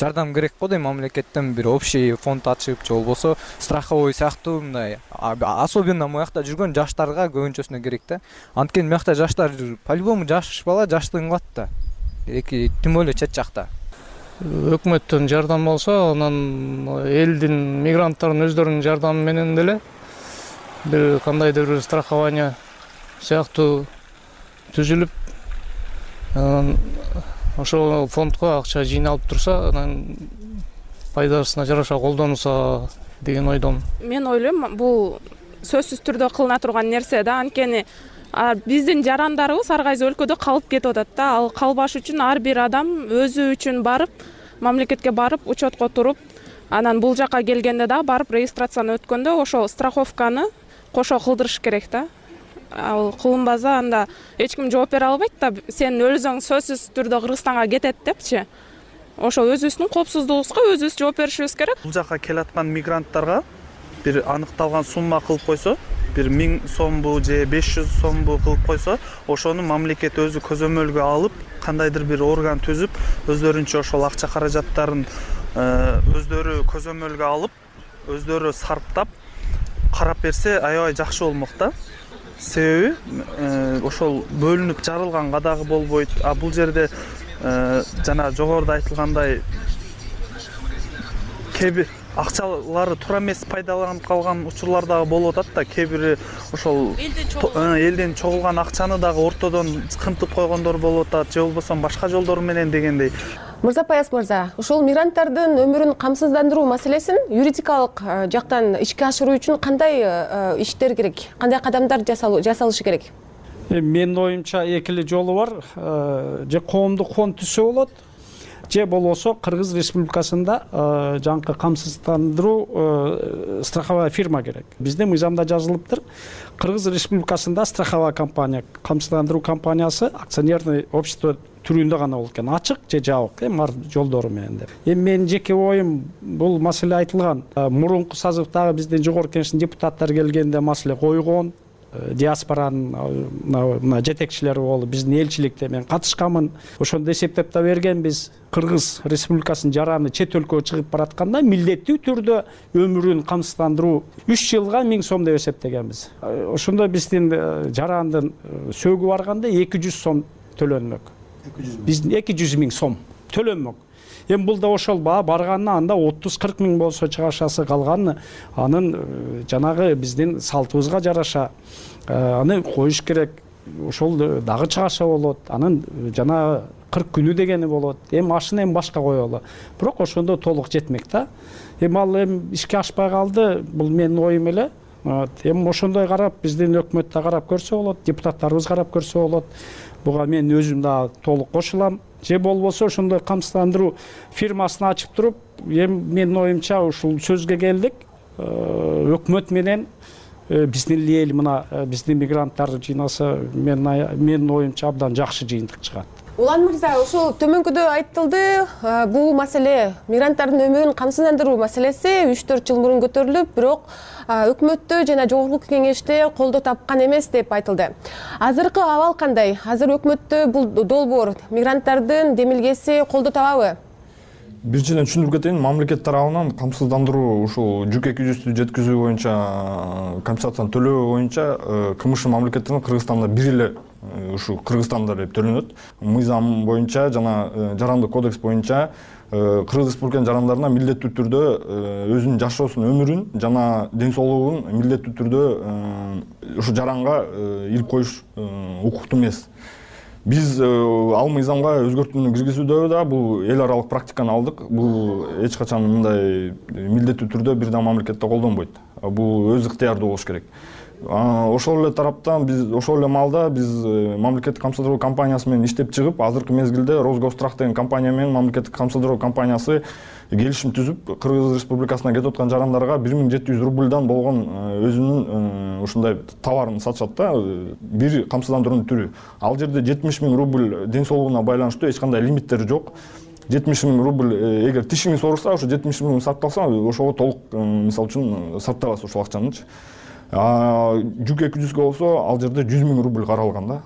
жардам керек го дейм, мамлекеттен бир общий фонд ачып, же болбосо страховой сыяктуу мындай. Особенно моякта жүргөн жаштарга көбүнчөсүнө керек да. Анткени моякта жаштар по-любому жаш бала жаштыгын кылат да. Тим более чет жакта. Өкмөттөн жардам болсо, анан элдин, мигранттардын өздөрүнүн жардамы менен деле бир кандайдыр бир страхование сыяктуу түзүлүп, анан ошол фондко акча жыйналып турса, анан пайдасына жараша колдонулса деген ойдомун. Мен ойлойм, бул сөзсүз түрдө кылына турган нерсе да, анткени биздин жарандарыбыз ар кайсы өлкөдө калып кетип атат да. Ал калбаш үчүн ар бир адам өзү үчүн барып, мамлекетке барып, учетко туруп, анан бул жака келгенде да барып регистрацияны өткөндө ошо страховканы кошо кылдырыш керек да. Ал кылынбаса анда эч ким жооп бере албайт да. Сен өзүң сөзсүз түрдө Кыргызстанга кетет депчи. Ошо өзүбүздүн коопсуздугубузга өзүбүз жооп беришибиз керек. Бул жака келаткан мигранттарга бир аныкталган сумма кылып койсо, бир 1000 сомбу же 500 сомбу кылып койсо, ошону мамлекет өзү көзөмөлгө алып, кандайдыр бир орган түзүп, өздөрүнчө ошол акча каражаттарын өздөрү көзөмөлгө алып, өздөрү сарптап карап берсе аябай жакшы болмок да. Себеби ошол бөлүнүп жарылганга дагы болбойт. А бул жерде жана жогоруда айтылгандай кээ бир акчалары туура эмес пайдаланып калган учурлар дагы болуп атат да. Кээ бири ошол элден чогулган акчаны дагы ортодон кымтып койгондор болуп атат, же болбосо башка жолдор менен дегендей. Мырзапаяз мырза, ушул мигранттардын өмүрүн камсыздандыруу маселесин юридикалык жактан ишке ашыруу үчүн кандай иштер керек, кандай кадамдар жасалышы керек? Менин оюмча эки эле жолу бар. Же коомдук фонд түзсө болот, же болбосо Кыргыз Республикасында жаңкы камсыздандыруу страховая фирма керек. Биздин мыйзамда жазылыптыр. Кыргыз Республикасында страховая компания, камсыздандыруу компаниясы акционерный общество түрүндө гана болот экен, ачык же жабык, бар жолдору менен деп. Менин жеке оюм, бул маселе айтылган. Мурунку созывдагы биздин жогорку кеңештин депутаттары келгенде маселе койгон. Диаспоранын мына жетекчилери болуп, биздин элчиликте мен катышканмын. Ошондо эсептеп да бергенбиз. Кыргыз Республикасынын жараны чет өлкөгө чыгып баратканда милдеттүү түрдө өмүрүн камсыздандыруу 3 жылга 1000 сом деп эсептегенбиз. Ошондо биздин жарандын сөөгү барганда 200 сом төлөнмөк. Биздин 200 000 сом төлөнмөк. Эми бул да ошол барганына анда 30-40 000 болсо чыгашасы калган анын жанагы биздин салтыбызга жараша аны коюш керек. Ошол дагы чыгаша болот. Анын жана 40 күнү дегени болот. Эми ашын эми башка коелу. Бирок ошондо толук жетмек да. Эми ал ишке ашпай калды. Бул менин оюм эле. Эми ошондой карап биздин өкмөт да карап көрсө болот, депутаттарыбыз карап көрсө болот. Буга мен өзүм да толук кошулам. Же болбосо ошондой камсыздандыруу фирмасын ачып туруп, менин оюмча ушул сөзгө келдик. Өкмөт менен биздин эл мына биздин мигранттар жыйнаса менин оюмча абдан жакшы жыйынтык чыгат. Улан мырза, ушул төмөнкүдө айтылды, бул маселе мигранттардын өмүрүн камсыздандыруу маселеси 3-4 жыл мурун көтөрүлүп, бирок өкмөттө жана жогорку кеңеште колдоо тапкан эмес деп айтылды. Азыркы абал кандай? Азыр өкмөттө бул долбоор мигранттардын демилгеси колдоо табабы? Биринчиден түшүндүрүп кетейин, мамлекет тарабынан камсыздандыруу ушул жүк 200-тү жеткизүү боюнча компенсацияны төлөө боюнча КМШ мамлекетинин Кыргызстанда бир эле ушу Кыргызстанда деп төлөнөт. Мыйзам боюнча жана жарандык кодекс боюнча Кыргыз Республиканын жарандарына милдеттүү түрдө өзүнүн жашоосун, өмүрүн жана ден соолугун милдеттүү түрдө ушу жаранга илип коюш укуктуу эмес. Биз ал мыйзамга өзгөртүүнү киргизүүдө да бул эл аралык практиканы алдык. Бул эч качан мындай милдеттүү түрдө бир да мамлекетте колдонбойт. Бул өз ыктыярдуу болуш керек. Ошол эле тараптан биз ошол эле маалда биз мамлекеттик камсыздыруу компаниясы менен иштеп чыгып, азыркы мезгилде Росгострах деген компания менен мамлекеттик камсыздыруу компаниясы келишим түзүп, Кыргыз Республикасына кетип аткан жарандарга 1700 рубльдан болгон өзүнүн ушундай товарын сатышат да, бир камсыздандыруунун түрү. Ал жерде 70 000 рубль ден соолугуна байланыштуу эч кандай лимиттери жок. 70 000 рубль эгер тишиңиз ооруса, ошо 70 000 сарпталса, ошого толук мисалы үчүн сарпталасыз ошол акчанычы. Жүк 200 болсо, ал жерде 100 000 рубль каралган да.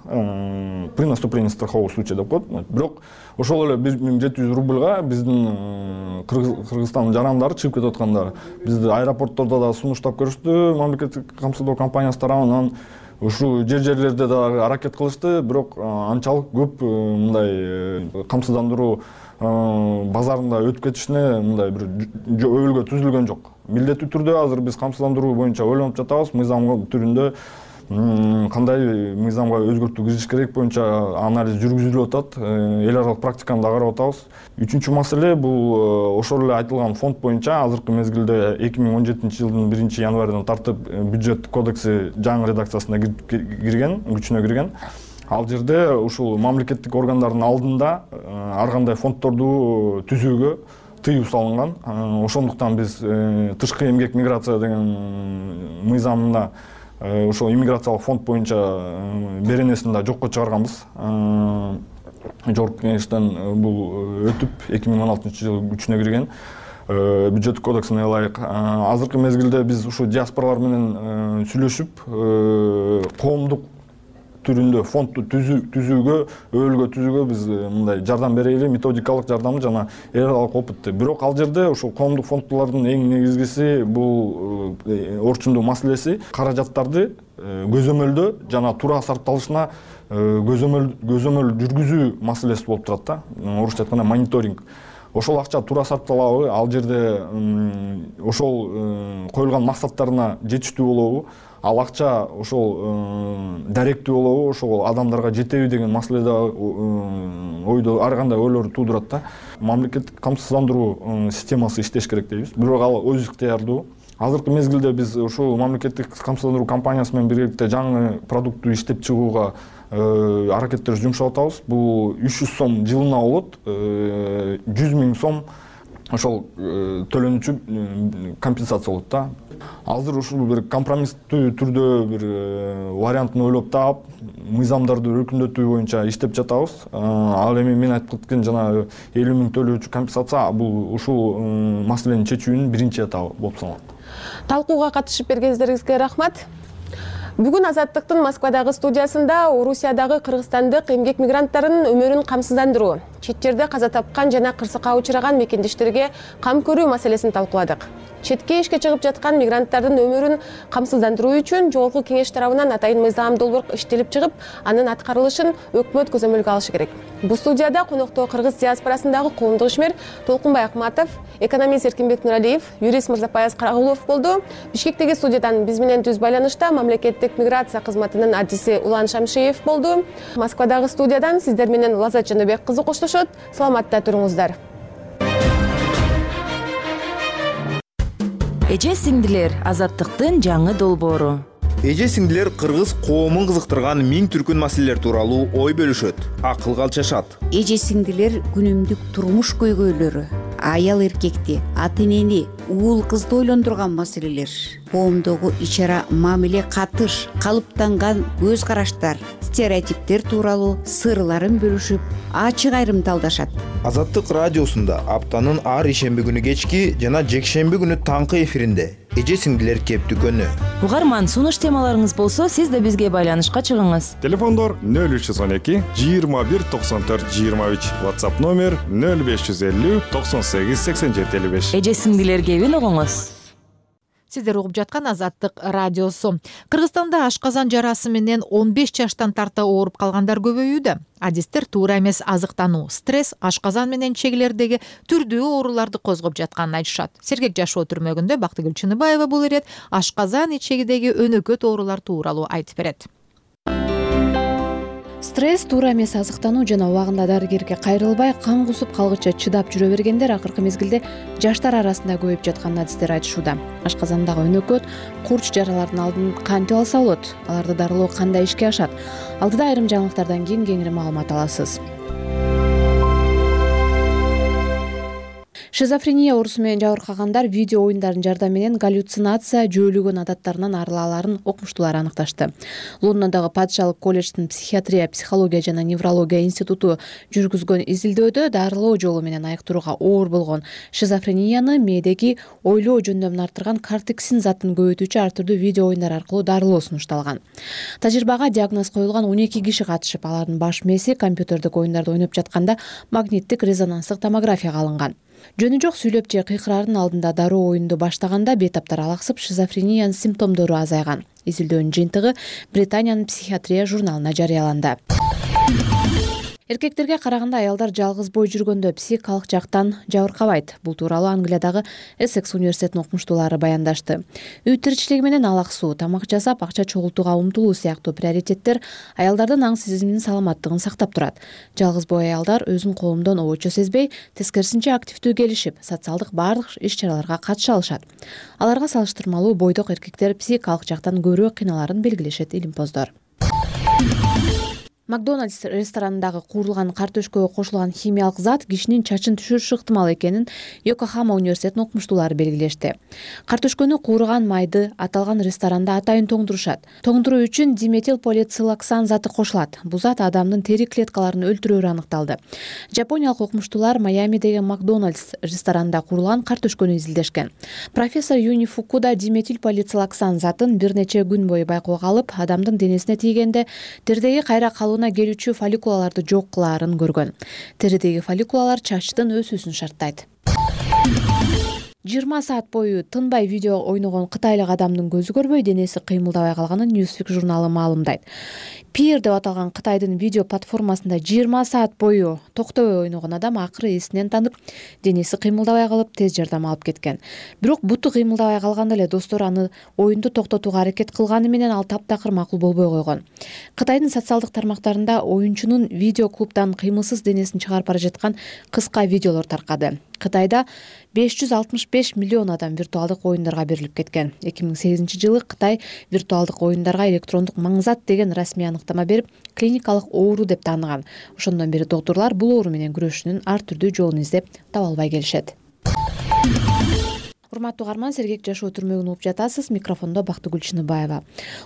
При наступлении страхового случая деп коет. Бирок ошол эле 1700 рубльга биздин Кыргызстандын жарандары чыгып кетип аткандар. Бизди аэропорттордо да сунуштап көрүштү, мамлекеттик камсыздоо компаниясы тарабынан. Ушу жерлерде да аракет кылышты, бирок анчалык көп мындай камсыздандыруу базарында өтүп кетишине мындай бир өбөлгө түзүлгөн жок. Милдеттүү түрдө азыр биз камсыздандыруу боюнча ойлонуп жатабыз, мыйзам түрүндө кандай мыйзамга өзгөртүү киргизиш керек боюнча анализ жүргүзүлүп атат, эл аралык практиканы да карап атабыз. Үчүнчү маселе бул ошол эле айтылган фонд боюнча азыркы мезгилде 2017-жылдын 1-январынан тартып бюджет кодекси жаңы редакциясына кирген, күчүнө кирген. Ал жерде ушул мамлекеттик органдардын алдында ар кандай фонддорду түзүүгө тыюу салынган. Ошондуктан биз тышкы эмгек миграция деген мыйзамында ошол иммиграциялык фонд боюнча беренесин да жокко чыгарганбыз. Жогорку кеңештен бул өтүп 2016-жылы күчүнө кирген. Бюджет кодексине ылайык. Азыркы мезгилде биз ушу диаспоралар менен сүйлөшүп, коомдук түрүндө фондду түзүүгө, өбөлгө түзүүгө биз мындай жардам берели, методикалык жардамы жана эл аралык опытты. Бирок ал жерде ошол коомдук фонддулардын эң негизгиси бул орчундуу маселеси каражаттарды көзөмөлдөө жана туура сарпталышына көзөмөл жүргүзүү маселеси болуп турат да. Орусча айтканда мониторинг. Ошол акча туура сарпталабы, ал жерде ошол коюлган максаттарына жетиштүү болобу, ал акча ошол даректүү болобу, ошол адамдарга жетеби деген маселе да ойдо ар кандай ойлорду туудурат да. Мамлекеттик камсыздандыруу системасы иштеш керек дейбиз. Бирок ал өз ыктыярдуу. Азыркы мезгилде биз ушул мамлекеттик камсыздандыруу компаниясы менен биргеликте жаңы продуктту иштеп чыгууга аракеттер жумшап атабыз. Бул 300 сом жылына болот, 100 000 сом ошол төлөнүүчү компенсация болот да. Азыр ушул бир компромисстүү түрдө бир вариантын ойлоп таап, мыйзамдарды өркүндөтүү боюнча иштеп жатабыз. Ал эми мен айтып кеткен жана 50 000 төлөөчү компенсация бул ушул маселени чечүүнүн биринчи этабы болуп саналат. Талкууга катышып бергениңиздерге рахмат. Бүгүн Азаттыктын Москвадагы студиясында Орусиядагы кыргызстандык эмгек мигранттарынын өмүрүн камсыздандыруу, чет жерде каза тапкан жана кырсыкка учураган мекендештерге кам көрүү маселесин талкууладык. Четке ишке чыгып жаткан мигранттардын өмүрүн камсыздандыруу үчүн Жогорку Кеңеш тарабынан атайын мыйзам долбоор иштелип чыгып, анын аткарылышын өкмөт көзөмөлгө алышы керек. Бул студияда конокто кыргыз диаспорасындагы коомдук ишмер Толкунбай Акматов, экономист Эркинбек Нуралиев, юрист Мырзапаяз Карагулов болду. Бишкектеги студиядан биз менен түз байланышта мамлекеттик миграция кызматынын адиси Улан Шамшиев болду. Москвадагы студиядан сиздер менен Лазат Жаныбек кызы коштошот. Саламатта туруңуздар. Эже сиңдилер, Азаттыктын жаңы долбоору. Эже сиңдилер кыргыз коомун кызыктырган миң түркүн маселелер тууралуу ой бөлүшөт, акыл калчашат. Эже сиңдилер күнүмдүк турмуш көйгөйлөрү, аял эркекти, ата энени, уул кызды ойлондурган маселелер, коомдогу ич-ара мамиле катыш, калыптанган көз караштар, стереотиптер тууралуу сырларын бөлүшүп, ачык айрым талдашат. Азаттык радиосунда аптанын ар ишемби күнү кечки жана жекшемби күнү таңкы эфиринде эже сиңдилер кептүкөнү. Угарман, сунуш темаларыңыз болсо, сиз да бизге байланышка чыгыңыз. Телефондор 0312 21 94 23, WhatsApp номер 0550 98 87 55. Эже сиңдилер кебин угуңуз. Сиздер угуп жаткан Азаттык радиосу. Кыргызстанда ашказан жарасы менен 15 жаштан тарта ооруп калгандар көбөйүүдө. Адистер туура эмес азыктануу, стресс ашказан менен чегилердеги түрдүү ооруларды козгоп жатканын айтышат. Сергек жашоо түрмөгүндө Бактыгүл Чыныбаева бул ирет ашказан ичегидеги өнөкөт оорулар тууралуу айтып берет. Стресс, туура эмес азыктануу жана убагында дарыгерге кайрылбай, кан кусуп калгыча чыдап жүрө бергендер акыркы мезгилде жаштар арасында көбөйүп жатканын адистер айтышууда. Ашказандагы өнөкөт, курч жаралардын алдын кантип алса болот? Аларды дарылоо кандай ишке ашат? Алдыда айрым жаңылыктардан кийин кеңири маалымат аласыз. Шизофрения оорусу менен жабыркагандар видео оюндардын жардамы менен галлюцинация, жөөлөгөн адаттарынан арылааларын окумуштуулар аныкташты. Лондондогу Падышалык колледждин психиатрия, психология жана неврология институту жүргүзгөн изилдөөдө дарылоо жолу менен айыктырууга оор болгон шизофренияны мээдеги ойлоо жөндөмүн арттырган кортексин затын көбөйтүүчү ар түрдүү видео оюндар аркылуу дарылоо сунушталган. Тажрыйбага диагноз коюлган 12 киши катышып, алардын баш мээси компьютердик оюндарды ойноп жатканда магниттик резонанстык томографияга алынган. Жөнү жок сүйлөп же кыйкырардын алдында дароо оюнду баштаганда бейтаптар алаксып, шизофрениянын симптомдору азайган. Изилдөөнүн жыйынтыгы Британиянын психиатрия журналына жарыяланды. Эркектерге караганда аялдар жалгыз бой жүргөндө психикалык жактан жабыркабайт. Бул тууралуу Англиядагы Эссекс университетинин окумуштуулары баяндашты. Үй тиричилиги менен алаксуу, тамак жасап, акча чогултууга умтулуу сыяктуу приоритеттер аялдардын аң сезиминин саламаттыгын сактап турат. Жалгыз бой аялдар өзүн коомдон обочо сезбей, тескерисинче активдүү келишип, социалдык баардык иш-чараларга катыша алышат. Аларга салыштырмалуу бойдок эркектер психикалык жактан көбүрөөк кыйналарын белгилешет илимпоздор. Макдональдс ресторанындагы куурулган картөшкөгө кошулган химиялык зат кишинин чачын түшүрүшү ыктымал экенин Йокохама университетинин окумуштуулары белгилешти. Картөшкөнү куурган майды аталган ресторанда атайын тоңдурушат. Тоңдуруу үчүн диметилполицилоксан заты кошулат. Бул зат адамдын тери клеткаларын өлтүрөөрү аныкталды. Жапониялык окумуштуулар Майамидеги Макдональдс ресторанында куурулган картөшкөнү изилдешкен. Профессор Юни Фукуда диметилполицилоксан затын бир нече күн бою байкоого алып, адамдын денесине тийгенде теридеги кайра келүүчү фолликулаларды жок кылаарын көргөн. Теридеги фолликулалар чачтын өсүүсүн шарттайт. 20 саат бою тынбай видео ойногон кытайлык адамдын көзү көрбөй, денеси кыймылдабай калганын Newsweek журналы маалымдайт. Peer деп аталган Кытайдын видео платформасында 20 саат бою токтобой ойногон адам акыры эсинен танып, денеси кыймылдабай калып, тез жардам алып кеткен. Бирок буту кыймылдабай калганда эле достору аны оюнду токтотууга аракет кылганы менен ал таптакыр макул болбой койгон. Кытайдын социалдык тармактарында оюнчунун видео клубдан кыймылсыз денесин чыгарып бара жаткан кыска видеолор таркады. Кытайда 565 миллион адам виртуалдык оюндарга берилип кеткен. 2008-жылы Кытай виртуалдык оюндарга электрондук маңзат деген расмий аныктама берип, клиникалык оору деп тааныган. Ошондон бери доктурлар бул оору менен күрөшүүнүн ар түрдүү жолун издеп таба албай келишет. Урматтуу угарман, сергек жашоо түрмөгүн угуп жатасыз. Микрофондо Бактыгүл Чыныбаева.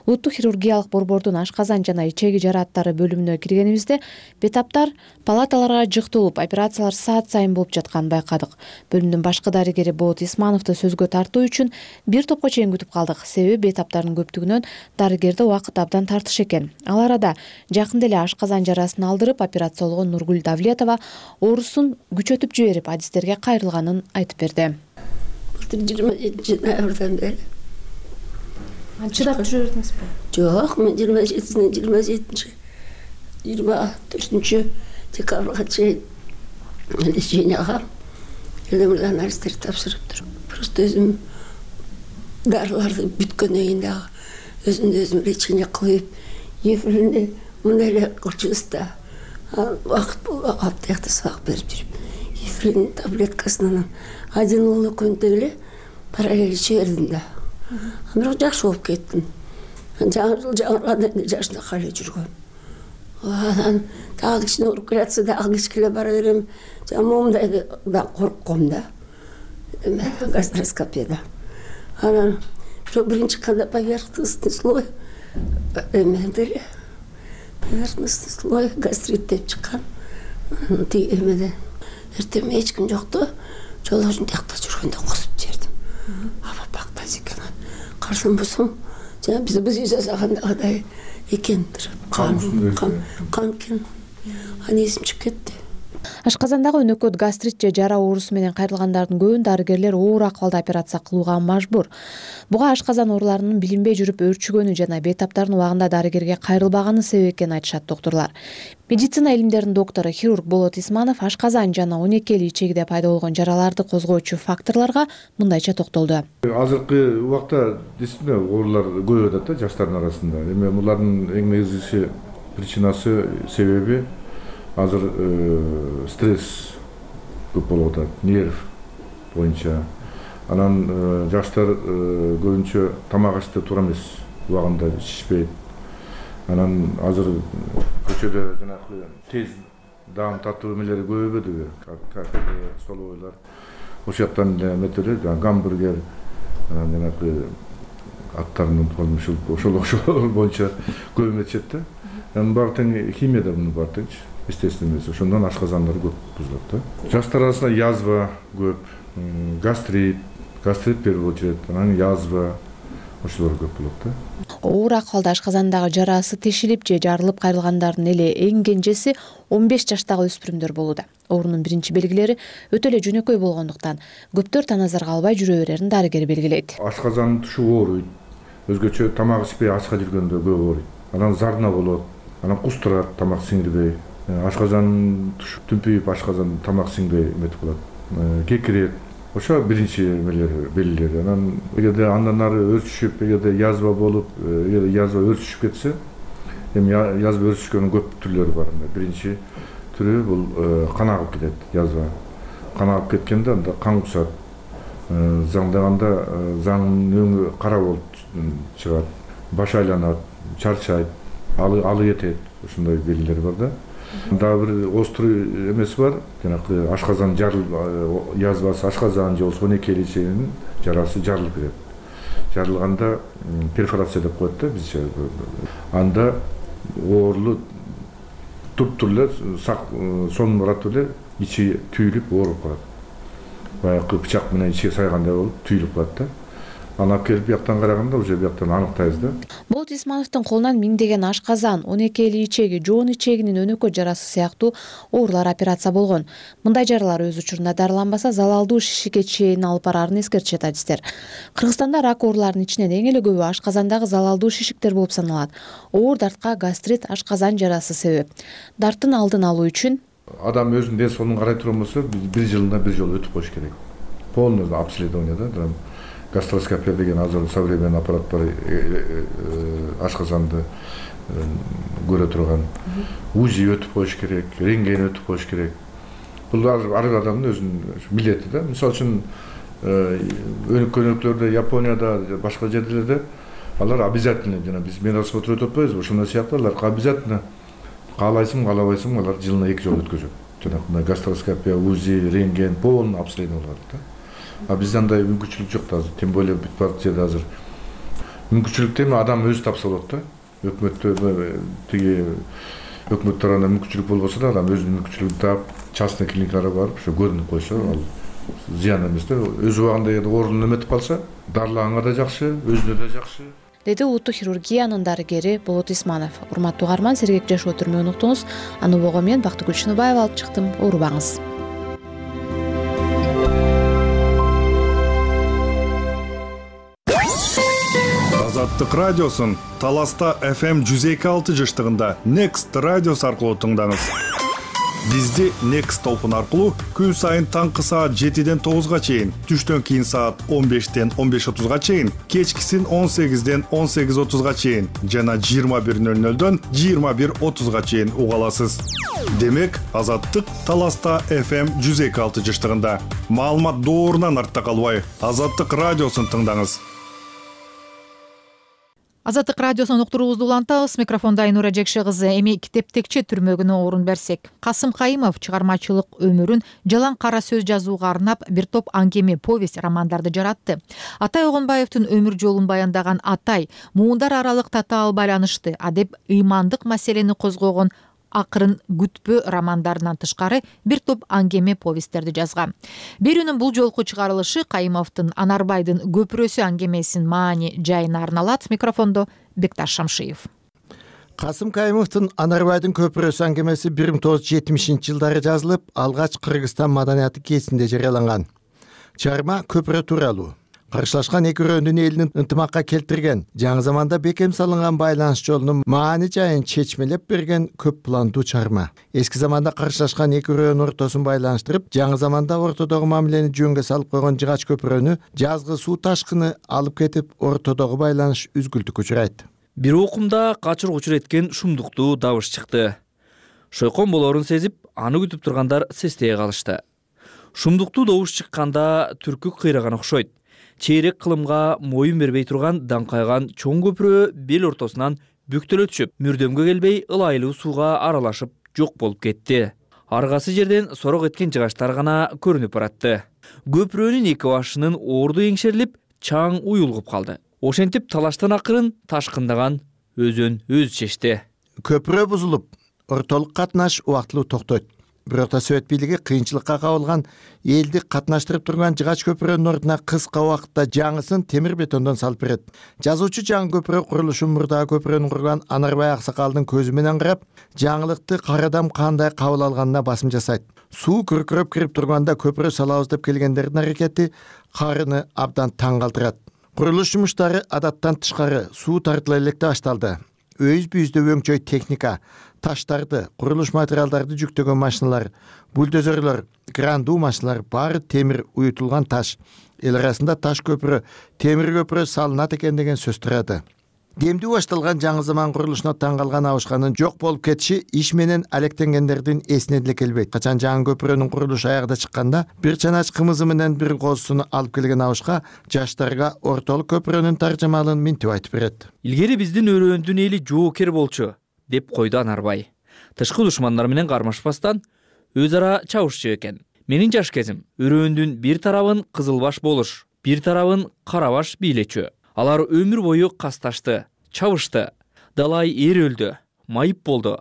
Улуттук хирургиялык борбордун ашказан жана ичеги жарааттары бөлүмүнө киргенибизде бетаптар палаталарга жыкталып, операциялар саат сайын болуп жатканын байкадык. Бөлүмдүн башкы дарыгери Болот Исмановду сөзгө тартуу үчүн бир топко чейин күтүп калдык. Себеби бетаптардын көптүгүнөн дарыгерди убакыт абдан тартыш экен. Ал арада жакында эле ашказан жарасын алдырып операциялогон Нургүл Давлетова оорусун күчөтүп жиберип, адистерге кайрылганын айтып берди. 27 ноябрдан бери. Чыдап жүрө бердиңизби? Жок, мен 24 декабрга чейин леченияга элемле анализдер тапшырыптыр. Просто өзүм дарыларды бүткөндөн кийин дагы өзүмдү өзүм лечение кылып, эфиринде мындай эле кылчубуз да. Убакыт болбой аптекте сабак берип жүрүп, эфирин таблеткасынан один уулу күндө эле параллель иче бердим да. Бирок жакшы болуп кеттим. Жаңы жыл жаңырганда жашынакай эле жүргөм. Анан дагы кичине ооруп келатса дагы кичкеле бара берем. Моундай да коркком да. Гастроскопияда. Анан биринчи кандай поверхностный слой эмеде поверхностный слой гастрит деп чыккан. Тиги эмеде эртең эч ким жокту. Жолдошун тиякта жүргөндө косуп жибердим. Аба бактайсыз экен. Карасам болсом, жана биз жасагандагыдай экен. Кан экен. Аны эсим чыгып кетти. Ашказандагы өнөкөт гастрит же жара оорусу менен кайрылгандардын көбүн дарыгерлер оор акыбалда операция кылууга мажбур. Буга ашказан ооруларынын билинбей жүрүп өөрчүгөнү жана бейтаптардын убагында дарыгерге кайрылбаганы себеп экенин айтышат доктурлар. Медицина илимдеринин доктору хирург Болот Исманов ашказан жана 12 ичегиде пайда болгон жараларды козгоочу факторлорго мындайча токтолду. Азыркы убакта действительно оорулар көбөйүп атат да жаштардын арасында. Эми булардын эң негизги причинасы себеби азыр стресс көп болуп атат, нерв боюнча. Анан жаштар көбүнчө тамак ашты туура эмес, убагында ичишпейт. Анан азыр көчөдө жанагы тез даам татуу эмелери көбөйбөдүбү? Кафе, столовойлар. Ошол жактан метелер, гамбургер, жанагы аттарынын болмушу ошол боюнча көбөйүп атышат да. Баары тең химияда муну баары тең естественно эмес. Ошондон ашказандар көп бузулат да. Жаштар арасында язва көп, гастрит в первую очередь, анан язва ошолор көп болот да. Оор акыбалда ашказандагы жарасы тешилип же жарылып кайрылгандардын эле эң кенжеси 15 жаштагы өспүрүмдөр болууда. Оорунун биринчи белгилери өтө эле жөнөкөй болгондуктан көптөр таназарга албай жүрө берерин дарыгер белгилейт. Ашказан тушу ооруйт. Өзгөчө тамак ичпей ачка жүргөндө көп ооруйт. Анан зарна болот, анан кустурат, тамак сиңирбей. Ашказан тушу түнпүйүп, ашказан тамак сиңбей эметип калат. Кекирет. Ошо биринчи белгилери. Анан эгерде андан ары өрчүшүп, эгерде язва болуп, эгерде язва өрчүшүп кетсе, эми язва өрчүшкөнүн көп түрлөрү бар. Биринчи түрү бул кан агып кетет, язва. Кан агып кеткенде анда кан кусат. Заңдаганда заңдын өңү кара болуп чыгат, баш айланат, чарчайт. алы кетет, ушундай белгилер бар да. Дагы бир острый эмеси бар, жанагы ашказан язбасы, ашказан же болбосо 12 ичегинин жарасы жарылып кетет. Жарылганда перфорация деп коет да бизче. Анда оорлу туп-тур эле сонун барат эле ичи түйүлүп ооруп калат. Баягы бычак менен ичиге сайгандай болуп түйүлүп калат да. Аны алып келип бияктан караганда уже бияктан аныктайбыз да. Болот Исмановдун колунан миңдеген ашказан, 12 эли ичеги, жоон ичегинин өнөкөй жарасы сыяктуу оорулар операция болгон. Мындай жаралар өз учурунда дарыланбаса залалдуу шишикке чейин алып бараарын эскертишет адистер. Кыргызстанда рак ооруларынын ичинен эң эле көбү ашказандагы залалдуу шишиктер болуп саналат. Оор дартка гастрит, ашказан жарасы себеп. Дарттын алдын алуу үчүн адам өзүнүн ден соолугун карай турган болсо, бир жылына бир жолу өтүп коюш керек. Полный обследование да. Гастроскопия деген азыр современный аппарат бар, ашказанды көрө турган. УЗИ өтүп коюш керек, рентген өтүп коюш керек. Бул ар бир адамдын өзүнүн милдети да. Мисалы үчүн өнөктөрдө, Японияда, башка жерлерде алар обязательно, жана биз медосмотр өтүп атпайбызбы, ошондой сыяктуу алар обязательно каалайсың, каалабайсың, алар жылына 2 жолу өткөзөт. Жанагы гастроскопия, УЗИ, рентген, полный обследование кылат да. А бизде андай мүмкүнчүлүк жок да азыр, тем более бүт партияда азыр. Мүмкүнчүлүктү эми адам өзү тапса болот да. Өкмөт тарабынан мүмкүнчүлүк болбосо да, адам өзүнүн мүмкүнчүлүгүн таап, частный клиникаларга барып, ошо көрүнүп койсо, ал зыян эмес да. Өз убагында оорунун эметип калса, дарылаганга да жакшы, өзүнө да жакшы. Деди улуттук хирургиянын дарыгери Болот Исманов. Урматтуу угарман, сергек жашоо түрмөгүн уктуңуз. Аны убого мен Бактыгүл Шыныбаева алып чыктым. Оорубаңыз. Азаттык радиосун Таласта FM 102.6 жыштыгында Next радиосу аркылуу тыңдаңыз. Бизди Next толкун аркылуу күн сайын таңкы саат 7ден 9га чейин, түштөн кийин саат 15ден 15:30га чейин, кечкисин 18ден 18:30га чейин жана 21:00дөн 21:30га чейин уга аласыз. Демек, Азаттык Таласта FM 102.6 жыштыгында. Маалымат доорунан артта калбай, Азаттык радиосун тыңдаңыз. Азаттык радиосунун уктуруубузду улантабыз. Микрофонда Айнура Жекше кызы. Эми китептекче түрмөгүнө орун берсек. Касым Кайымов чыгармачылык өмүрүн жалаң кара сөз жазууга арнап бир топ аңгеме, повесть, романдарды жаратты. Атай Огонбаевдин өмүр жолун баяндаган Атай, муундар аралык татаал байланышты, адеп ыймандык маселени козгогон Акырын күтпө романдарынан тышкары бир топ аңгеме, повесттерди жазган. Берүүнүн бул жолку чыгарылышы Кайымовдун Анарбайдын көпүрөсү аңгемесинин маани жайына арналат. Микрофондо Бекташ Шамшиев. Касым Кайымовдун Анарбайдын көпүрөсү аңгемеси 1970-жылдары жазылып, алгач Кыргызстан маданияты гезитинде жарыяланган. Чыгарма көпүрө тууралуу. Каршылашкан эки өрөөндүн элин ынтымакка келтирген, жаңы заманда бекем салынган байланыш жолунун маани жайын чечмелеп берген көп пландуу чыгарма. Эски заманда каршылашкан эки өрөөнүн ортосун байланыштырып, жаңы заманда ортодогу мамилени жөнгө салып койгон жыгач көпүрөнү жазгы суу ташкыны алып кетип, ортодогу байланыш үзгүлтүккө учурайт. Бир окумда качыр кучур эткен шумдуктуу добуш чыкты. Шойкон болорун сезип, аны күтүп тургандар сестее калышты. Шумдуктуу добуш чыкканда түркү кыйраган окшойт. Чейрек кылымга моюн бербей турган даңкайган чоң көпүрө бел ортосунан бүктөлө түшүп, мүрдөмгө келбей ылайлуу сууга аралашып жок болуп кетти. Аргасы жерден сорок эткен жыгачтар гана көрүнүп баратты. Көпүрөнүн эки башынын орду эңшерилип, чаң уюлгуп калды. Ошентип талаштан акырын ташкындаган өзүн өзү чечти. Көпүрө бузулуп, ортолук катнаш убактылуу токтойт. Бирок да Совет бийлиги кыйынчылыкка кабылган элди катнаштырып турган жыгач көпүрөнүн ордуна кыска убакытта жаңысын темир бетондон салып берет. Жазуучу жаңы көпүрө курулушун мурдагы көпүрөнү курган Анарбай Аксакалдын көзү менен карап, жаңылыкты карадам кандай кабыл алганына басым жасайт. Суу күркүрөп кирип турганда көпүрө салабыз деп келгендердин аракети карыны абдан таң калтырат. Курулуш жумуштары адаттан тышкары суу тартыла электе башталды. Өз бүйүздө өңчөй техника, таштарды, курулуш материалдарды жүктөгөн машиналар, бульдозерлер, крандуу машиналар баары темир уютулган таш. Эл арасында таш көпүрө, темир көпүрө салынат экен деген сөз турады. Демдүү башталган жаңы заман курулушуна таң калган Абышканын жок болуп кетиши иш менен алектенгендердин эсине деле келбейт. Качан жаңы көпүрөнүн курулушу аягда чыкканда, бир чанач кымызы менен бир козусун алып келген Абышка жаштарга ортолук көпүрөнүн таржымалын минтип айтып берет. Илгери биздин өрөөндүн эли жоокер болчу. деп койду Анарбай. Тышкы душмандар менен кармашпастан өз ара чабышчу экен. Менин жаш кезим өрөөндүн бир тарабын Кызылбаш болуш, бир тарабын Карабаш бийлечү. Алар өмүр бою касташты, чабышты. Далай эр өлдү, майып болду.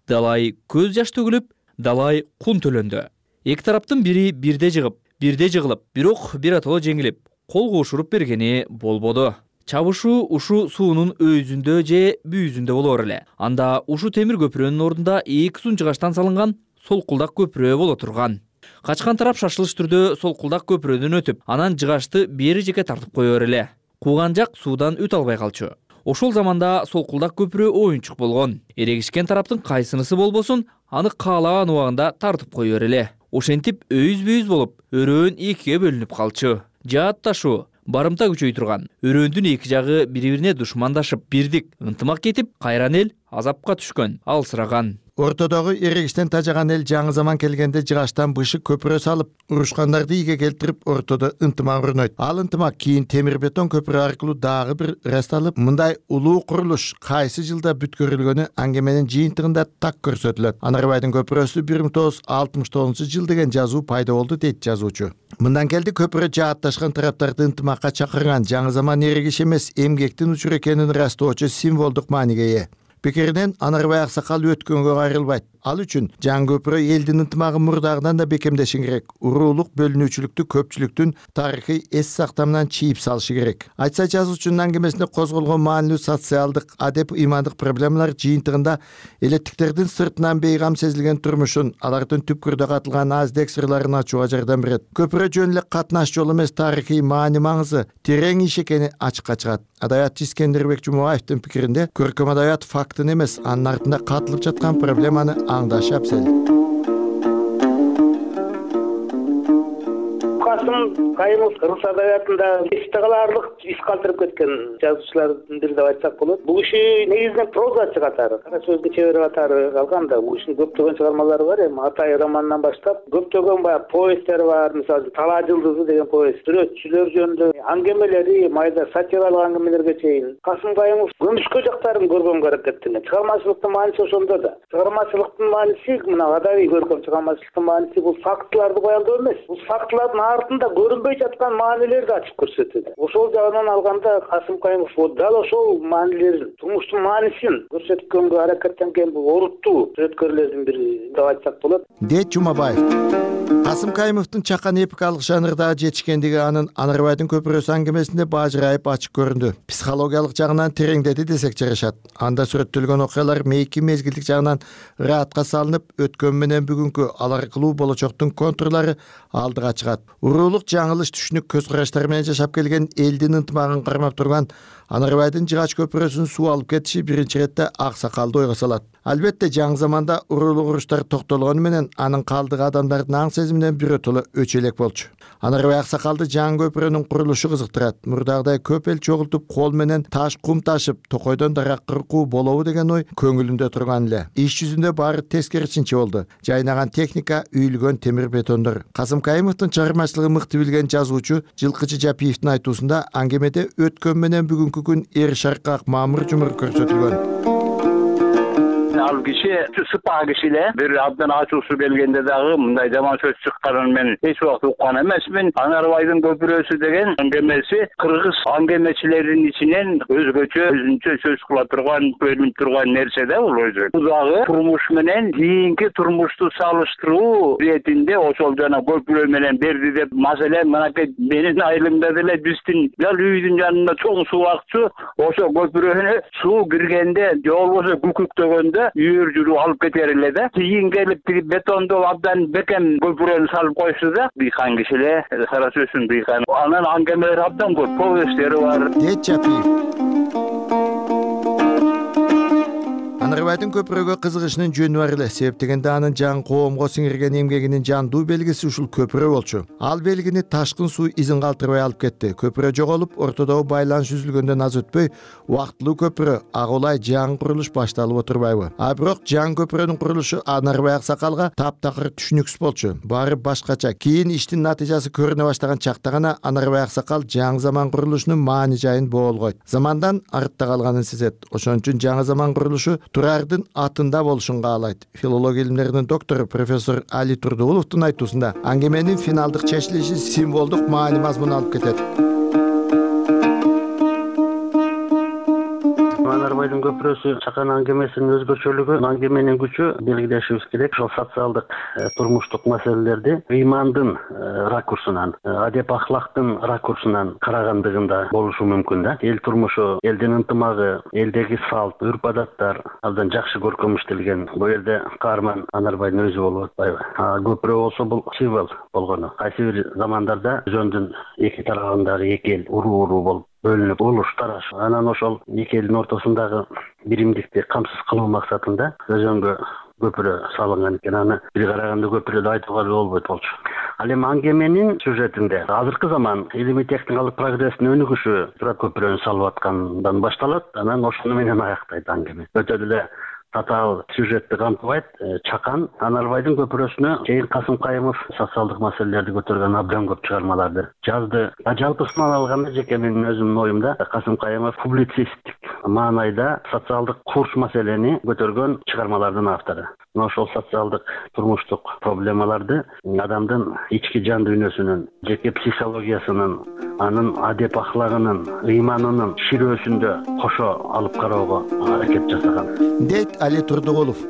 Далай көз жаш төгүлүп, далай кун төлөндү. Эки тараптын бири бирде жыгылып, бирок биротоло жеңилип, кол кошуруп бергени болбоду. Чабышуу ушу суунун өйүзүндө же бүүзүндө болор эле. Анда ушу темир көпүрөнүн ордунда эки сунчугаштан салынган солкулдак көпүрө боло турган. Качкан тарап шашылыш түрдө солкулдак көпүрөдөн өтүп, анан жыгашты бери жеке тартып коёр эле. Кууган жак суудан өтө албай калчу. Ошол заманда солкулдак көпүрө оюнчук болгон. Эрегишкен тараптын кайсынысы болбосун, аны каалаган убагында тартып коёр эле. Ошентип өйүз-бүйүз болуп, өрөөн экиге бөлүнүп калчу. Жаатташуу, барымта күчөй турган. Өрөөндүн эки жагы бири-бирине душмандашып, бирдик, ынтымак кетип, кайран эл азапка түшкөн, алсыраган. Ортодогу эрегиштен тажаган эл жаңы заман келгенде жыгаштан бышык көпүрө салып, урушкандарды ийге келтирип, ортодо ынтымак орнойт. Ал ынтымак кийин темир бетон көпүрө аркылуу дагы бир расталып, мындай улуу курулуш кайсы жылда бүткөрүлгөнү аңгеменин жыйынтыгында так көрсөтүлөт. Анарбайдын көпүрөсү 1969 жыл деген жазуу пайда болду дейт жазуучу. Мындан келди көпүрө жаатташкан тараптарды ынтымакка чакырган жаңы заман эрегиш эмес, эмгектин учуру экенин ырастоочу символдук мааниге ээ. Пикиринен Анарбай аксакал өткөнгө кайрылбайт. Ал үчүн жаңы көпүрө элдин ынтымагын мурдагыдан да бекемдеши керек. Уруулук бөлүнүүчүлүктү көпчүлүктүн тарыхый эс сактамынан чийип салышы керек. Айтса жазуучунун аңгемесинде козголгон маанилүү социалдык, адеп ыймандык проблемалар жыйынтыгында элеттиктердин сыртынан бейгам сезилген турмушун, алардын түпкүрдө катылган аздек сырларын ачууга жардам берет. Көпүрө жөн эле катнаш жол эмес, тарыхый маани маңызы терең иш экени ачыкка чыгат. Адабиятчы Искендербек Жумабаевдин пикиринде көркөм адабият фактын эмес, анын артында катылып жаткан проблеманы аңдаш абзел. Касым Кайымов кыргыз адабиятында эсте калаарлык иш калтырып кеткен жазуучулардын бири деп айтсак болот. Бул киши негизинен прозачы катары, кара сөздүн чебери катары калган да. Бул кишинин көптөгөн чыгармалары бар. Эми Атай романынан баштап көптөгөн баягы повесттери бар. Мисалы Талаа жылдызы деген повест, сүрөтчүлөр жөнүндө аңгемелери, майда сатиралык аңгемелерге чейин. Касым Кайымов көмүшкө жактарын көргөнгө аракеттенет. Чыгармачылыктын мааниси ошондо да. Чыгармачылыктын мааниси, мына адабий көркөм чыгармачылыктын мааниси бул фактыларды баяндоо эмес. Бул фактылардын артында көрүнбөй жаткан маанилерди ачып көрсөтөт. Ошол жагынан алганда Касым Кайымов дал ошол маанилерин, турмуштун маанисин көрсөткөнгө аракеттенген бул оруттуу сүрөткөрлөрдүн бири деп айтсак болот, дейт Жумабаев. Касым Кайымовдун чакан эпикалык жанрдагы жетишкендиги анын Анарбайдын көпүрөсү аңгемесинде бажырайып ачык көрүндү. Психологиялык жагынан тереңдеди десек жарашат. Анда сүрөттөлгөн окуялар мейки мезгилдик жагынан ыраатка салынып, өткөн менен бүгүнкү ал аркылуу болочоктун контурлары алдыга чыгат. Уруулук жаңылыш түшүнүк көз караштары менен жашап келген элдин ынтымагын кармап турган Анарбайдын жыгач көпүрөсүн суу алып кетиши биринчи иретте аксакалды ойго салат. Албетте жаңы заманда уруулук уруштар токтолгону менен анын калдыгы адамдардын аң сезиминен биротоло өчө элек болчу. Анарбай аксакалды жаңы көпүрөнүн курулушу кызыктырат. Мурдагыдай көп эл чогултуп кол менен таш кум ташып, токойдон дарак кыркуу болобу деген ой көңүлүндө турган эле. Иш жүзүндө баары тескерисинче болду. Жайнаган техника, үйүлгөн темир бетондор. Касым Кайымовдун чыгармачылыгын мыкты билген жазуучу Жылкычы Жапиевдин айтуусунда аңгемеде өткөн менен бүгүнкү күн эр шаркак мамыр жумур көрсөтүлгөн. Ал киши сыпа киши эле. Бир абдан ачуусу келгенде дагы мындай жаман сөз чыкканын мен эч убакыт уккан эмесмин. Анарбайдын көпүрөсү деген аңгемеси кыргыз аңгемечилеринин ичинен өзүнчө сөз кыла турган, бөлүнүп турган нерсе да бул өзү. Бул дагы турмуш менен кийинки турмушту салыштыруу иретинде ошол жана көпүрө менен берди деп, маселен мынакей менин айылымда деле биздин дал үйдүн жанында чоң суу акчу, ошо көпүрөнү суу киргенде же болбосо күкүктөгөндө үйөр жүрүп алып кетер эле да. Кийин келип бетондо абдан бекем көпүрөнү салып койсу да. Быйкан киши эле, кара сөзсүн быйкан. Анын аңгемелери абдан көп, повесттери бар. Дейт Жапиев. Анарбайдын көпүрөгө кызыгышынын жөнү бар эле. Себеп дегенде анын жаңы коомго сиңирген эмгегинин жандуу белгиси ушул көпүрө болчу. Ал белгини ташкын суу изин калтырбай алып кетти. Көпүрө жоголуп, ортодогу байланыш үзүлгөндөн аз өтпөй, убактылуу көпүрө агулай жаңы курулуш башталып отурбайбы? А бирок жаңы көпүрөнүн курулушу Анарбай аксакалга таптакыр түшүнүксүз болчу. Баары башкача. Кийин иштин натыйжасы көрүнө баштаган чакта гана Анарбай аксакал жаңы заман курулушунун маани жайын боолгойт. Замандан артта калганын сезет. Ошон үчүн жаңы заман курулушу турар алардын атында болушун каалайт. Филология илимдеринин доктору профессор Али Турдугуловдун айтуусунда аңгеменин финалдык чечилиши символдук маани мазмун алып кетет. Анарбайдын көпүрөсү чакан аңгемесинин өзгөчөлүгү, аңгеменин күчү белгилешибиз керек. Ошол социалдык, турмуштук маселелерди ыймандын ракурсунан, адеп ахлактын ракурсунан карагандыгында болушу мүмкүн да. Эл турмушу, элдин ынтымагы, элдеги салт, үрп адаттар абдан жакшы көркөмүштөлгөн. Бул жерде каарман Анарбайдын өзү болуп атпайбы? Көпүрө болсо бул символ болгону. Кайсы бир замандарда өзөндүн эки тарабындагы эки эл уруу болуп бөлүнүп улуш тараш. Анан ошол эки элдин ортосундагы биримдикти камсыз кылуу максатында өзөнгө көпүрө салынган экен. Аны бир караганда көпүрөдү айтууга болбойт болчу. Ал эми аңгеменин сюжетинде азыркы заман илимий техникалык прогресстин өнүгүшү көпүрөнү салып аткандан башталат, анан ошону менен аяктайт аңгеме. Өтө эле татаал сюжетти камтыбайт. Чакан Анарбайдын көпүрөсүнө чейин Касым Кайымов социалдык маселелерди көтөргөн абдан көп чыгармаларды жазды. Жалпысынан алганда жеке менин өзүмдүн оюмда Касым Кайымов публицисттик маанайда социалдык курч маселени көтөргөн чыгармалардын автору. Ошол социалдык турмуштук проблемаларды адамдын ички жан дүйнөсүнүн, жеке психологиясынын, анын адеп ахлагынын, ыйманынын ширөөсүндө кошо алып кароого аракет жасаган. Дейт Али Турдугулов.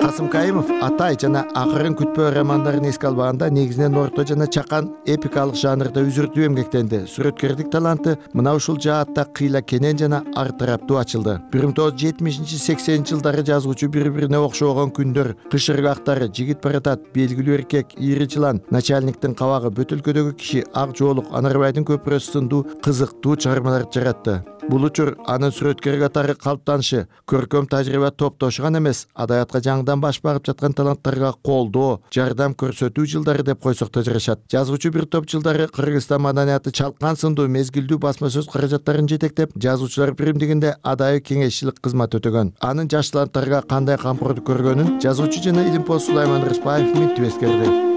Касым Кайымов Атай жана Акырын күтпөө романдарын эске албаганда негизинен орто жана чакан эпикалык жанрда үзүртүү эмгектенди. Сүрөткөрдүк таланты мына ушул жаатта кыйла кенен жана ар тараптуу ачылды. 1970-80 жылдары жазуучу бири-бирине окшогон күндөр, кыш ыргактары, жигит баратат, белгилүү эркек, ийри жылан, начальниктин кабагы, бөтөлкөдөгү киши, ак жоолук, Анарбайдын көпүрөсү сындуу кызыктуу чыгармаларды жаратты. Бул учур анын сүрөткөр катары калыптанышы, көркөм тажрыйба топтошу гана эмес, адабиятка жаңыдан баш багып жаткан таланттарга колдоо, жардам көрсөтүү жылдары деп койсок да жарашат. Жазуучу бир топ жылдары Кыргызстан маданияты чалкан сындуу мезгилдүү басма сөз каражаттарын жетектеп, жазуучулар биримдигинде адайы кеңешчилик кызмат өтөгөн. Анын жаш таланттарга кандай камкордук көргөнүн жазуучу жана илимпоз Сулайман Рыспаев минтип эскерди.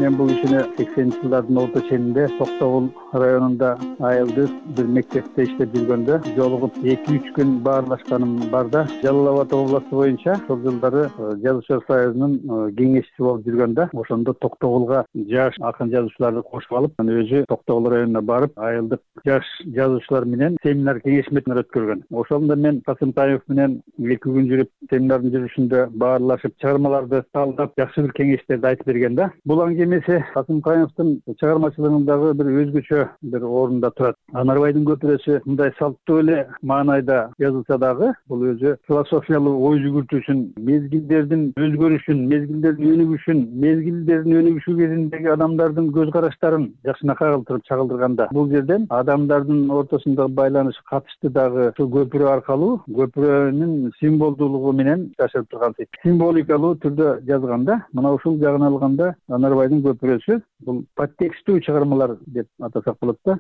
Мен бул ишини 80-жылдардын орто ченинде Токтогул районунда айылдык бир мектепте иштеп жүргөндө жолугуп 2-3 күн баарлашканым бар да. Жалал Абад областу боюнча ошол жылдары Жазуучулар союзунун кеңешчиси болуп жүргөндө ошондо Токтогулга жаш акын жазуучуларды кошуп алып, өзү Токтогул районуна барып, айылдык жаш жазуучулар менен семинар кеңешмелер өткөргөн. Ошондо мен Касым Кайымов менен 2 күн жүрүп, семинардын жүрүшүндө баарлашып, чыгармаларды талдап, жакшы бир кеңештерди айтып берген да. Бул аңгемеси Касым Кайымовдун чыгармачылыгындагы бир өзгөчө бир орунда турат. Анарбайдын көпүрөсү мындай салттуу эле маанайда жазылса дагы, бул өзү философиялык ой жүгүртүүсүн, мезгилдердин өзгөрүшүн, мезгилдердин өнүгүшү кезиндеги адамдардын көз караштарын жакшына кагылтырып чагылдырганда, бул жерден адамдардын ортосундагы байланыш катышты дагы ушул көпүрө аркылуу, көпүрөнүн символдуулугу менен жашырып турган символикалуу түрдө жазганда, мына ушул жагын алганда Анарбайдын көпүрөсү бул подтекстүү чыгармалар деп атасак болот да.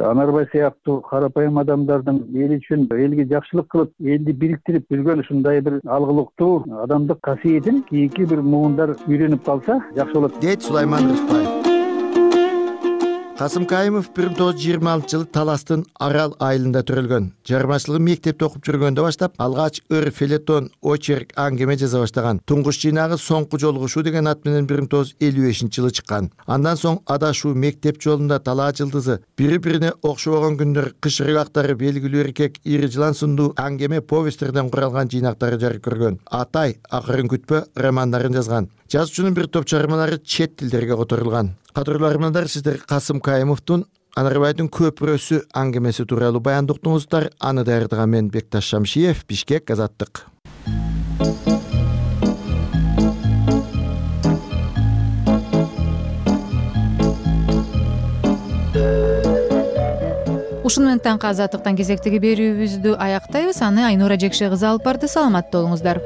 Анарбай сыяктуу карапайым адамдардын эл үчүн, элге жакшылык кылып, элди бириктирип жүргөн ушундай бир алгылыктуу адамдык касиетин кийинки бир муундар үйрөнүп калса жакшы болот, дейт Сулайман Рыспаев. Касым Кайымов 1926-жылы Таластын Арал айылында төрөлгөн. Жармачылыгын мектепте окуп жүргөндө баштап, алгач ыр, фелетон, очерк, аңгеме жаза баштаган. Туңгуч жыйнагы Соңку жолугушуу деген ат менен 1955-жылы чыккан. Андан соң Адашуу, Мектеп жолунда, Талаа жылдызы, бири-бирине окшобогон күндөр, Кыш ыргактары, Белгилүү эркек, Ийри жылан сындуу аңгеме повесттерден куралган жыйнактары жарык көргөн. Атай, Акырын күтпө романдарын жазган. Жазуучунун бир топ чыгармалары чет тилдерге которулган. Кадырлуу армандар, сиздер Касым Кайымовдун Анарбайдын көпүрөсү аңгемеси тууралуу баяндоо уктуңуздар. Аны даярдаган мен Бекташ Шамшиев, Бишкек, Азаттык. Ушуну менен таңкы Азаттыктан кезектеги берүүбүздү аяктайбыз. Аны Айнура Жекше кызы алып барды. Саламатта болуңуздар.